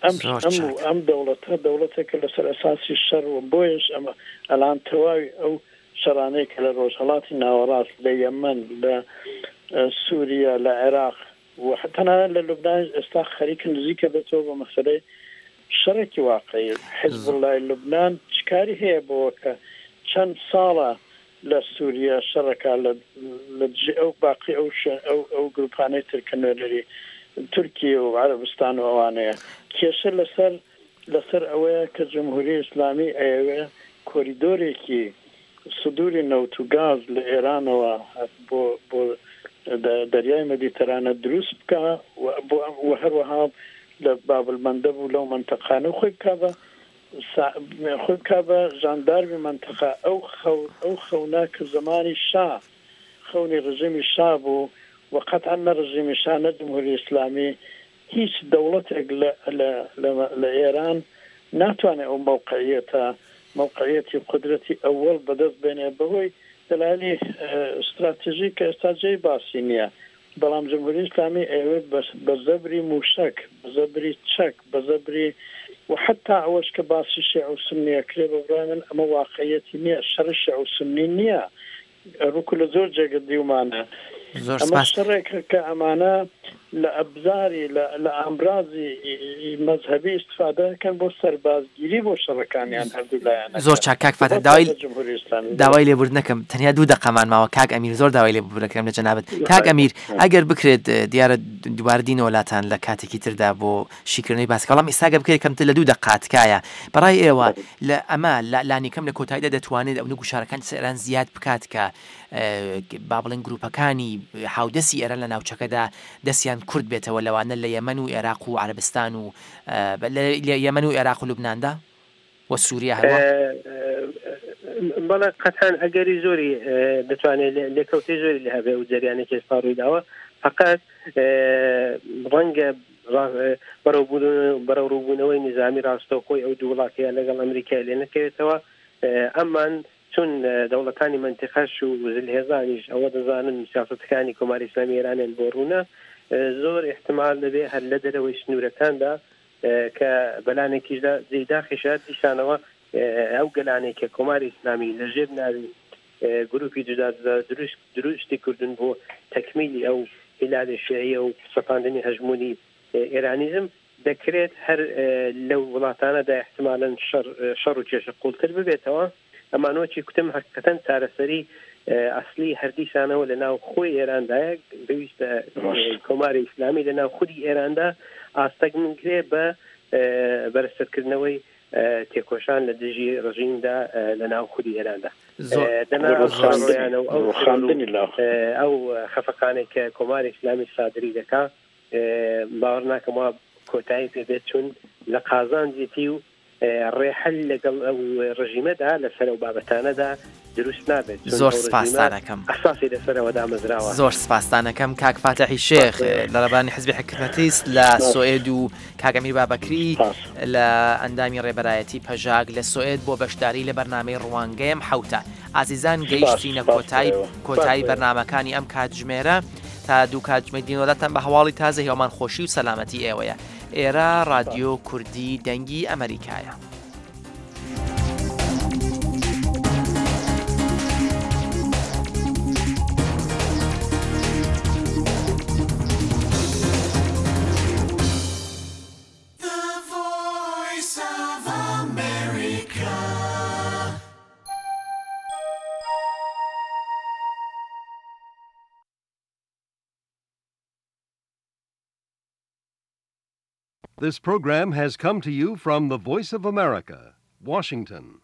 ئەم زۆر ئەم چاک. ئەم دەوڵەتە دەوڵەتێکە لەسەر ئەساسی شەڕ و بۆیەش ئەمە ئەلان تەواوی ئەو شەڕانەی کە لە ڕۆژهەڵاتی ناوەڕاست لە یەمەن لە سووریە لە عێراق و تەنانەت لە لوبنانیش ئێستا خەریکە نزیکە بێتەوە بە مەسەلەی شەڕێکی واقعی. حیزبوڵڵای لوبنان چ کاری هەیە بەوە کە چەند ساڵە لە سووریە شەڕەکا لە لە دژی ئەو باقی ئەو شوێن ئەو ئەو گرووپانەی تر کە نوێنەری تورکیە و عەرەبستان و ئەوانەیە. کێشە لەسەر لەسەر ئەوەیە کە جمهوری ئیسلامی ئەیەوێ کۆریدۆرێکی سدوری نەوت و گاز لە ئێرانەوە بۆ بۆ دەریای مەدیتەرانە دروست بکا و بۆ و هەروەها لە باب المندب و لەو مەنتەقانە خۆی بکا بە خۆی بکا بە ژاندارمی مەنتەقە ئەو خەو ئەو خەونە کە زەمانی شا خەونی ڕژیمی شا بوو و قەتعەن نە ڕژیمی شا نە جمهوری ئیسلامی هیچ دەوڵەتێک لە لە لە لە ئێران ناتوانێ ئەو مەوقعیەتە، مەوقعیەتی قودرەتی ئەوەڵ بەدەست بێنێ بەهۆی دەلایلی ستراتژی کە ئێستا جێی باسی نییە. بەڵام جمهوری ئیسلامی ئەیەوێ بە بە زەبری مووشەک، بە زەبری چەک، بە زەبری و حەتتا ئەوەش کە باسی شێعە و سوننی ئەکرێ بە بڕوای من ئەمە واقعیەتی نییە، شەڕی شێعە و سوننی نییە. ڕوکو لە زۆر جێگە دیومانە زۆر ئەمە سپاس. شەڕێکە کە ئەمانە لە ئەبزاری لە لە ئامرازی مەزهەبی ئیستفادە ئەکەن بۆ سەربازگیری بۆ شەڕەکانیان هەردوو لایەنەکە زۆر چاک کاک فاتح بۆ داوای تایبەت جمهوری ئیسلامی بەڵێ. داوای لێبوردن ئەکەم تەنیا دوو دەقەمان ماوە کاک ئەمیر زۆر داوای لێبوردن ئەکەم لە جەنابت کاک ئەمیر ئەگەر بکرێت دیارە دووبارە دینەوە لاتان لە کاتێکی تردا بۆ شیکردنەوەی باسەکە بەڵام ئیستا گەر بکرێت کەمتر لە دوو دەقە تکایە بەڕای ئێوە لە ئەمە لە لانیکەم لە کۆتاییدا دەتوانێت ئەونە گوشارەکانی سەر ئێران زیاد بکات کە با بڵێن گروپەکانی هاودەستی ئێران لە ناوچەکەدا دەستیان کورت بێتەوە لەوانە لە یەمەن و ئێراق و عەرەبستان و لە یەمەن و ئێراق و لوبناندا و سووریا هەروە؟ بەڵێ قەتعەن ئەگەری زۆری دەتوانێت لێکەوتەی زۆری لە هەبێ و جەریانێکی ئێستا ڕوویداوە فقط ڕەنگە بەرەوڕووبوونەوەی نیزامی ڕاستەوخۆی ئەو دوو وڵاتەیە لەگەڵ ئەمریکای لێ نەکەوێتەوە، ئەمان چون دەوڵەتانی مەنتیقەش و زلهێزانیش ئەوە دەزانن سیاسەتەکانی کۆماری ئیسلامی ئێرانیان بۆ ڕوونە، زۆر ئیحتمال دەبێ هەر لە دەرەوەی سنوورەکاندا کە بەلانێکیشدا جێی داخیشە دیسانەوە ئەو گەلانەی کە کۆماری ئیسلامی لە ژێر ناوی گروپی جودا جودا دروست دروستی کردن بۆ تەکمیلی ئەو هیلالی شیعیە و سەپاندنی هەژموونی ئێرانیزم دەکرێت هەر لەو وڵاتانەدا احتمالەن شەڕ شەڕ و کێشە قوڵتر ببێتەوە ئەمانۆچی کوتم حقیقەتەن چارەسەری ئەسلی هەردیسانەوە لە ناو خۆی ئێراندایە پێویستە کۆماری ئیسلامی لە ناو خودی ئێراندا ئاستەک بکرێ بە بەرزترکردنەوەی تێکۆشان لە دژی ڕژیمدا لە ناو خودی ئێراندا ئەو خەفەقانێک کە کۆماری ئیسلامی سادری دەکا باوەڕ ناکەم وا کۆتایی پێ بێت چون لە قازانجێتی و ڕێحل لەگەڵ ئەو ڕژیمەدا لەسەر ئەو بابەتانەدا دروست نابێت زۆر سپاستان ئەکەم ئەساسی لەسەرەوە دامەزراوە. زۆر سپاستان ئەکەم کاک فاتحی شێخ لە ڕێبەرانی حزبی حکمەتیست لە سۆئێد و کاک ئەمیر بابەکری لە ئەندامی ڕێبەرایەتی پەژاک لە سۆئێد بۆ بەشداری لە بەرنامەی ڕوانگەی ئەم حەوتە. ئازیزان گەیشتینە کۆتایی کۆتایی بەرنامەکانی ئەم کاتژمێرە تا دوو کاتژمێر دینۆلاتان بە هەواڵی تازە هیوامان خۆشی و سەلامەتی ئێوەیە. ئێرە ڕادیۆ کوردی دەنگی ئەمەریکایە. This program has come to you from the Voice of America, Washington.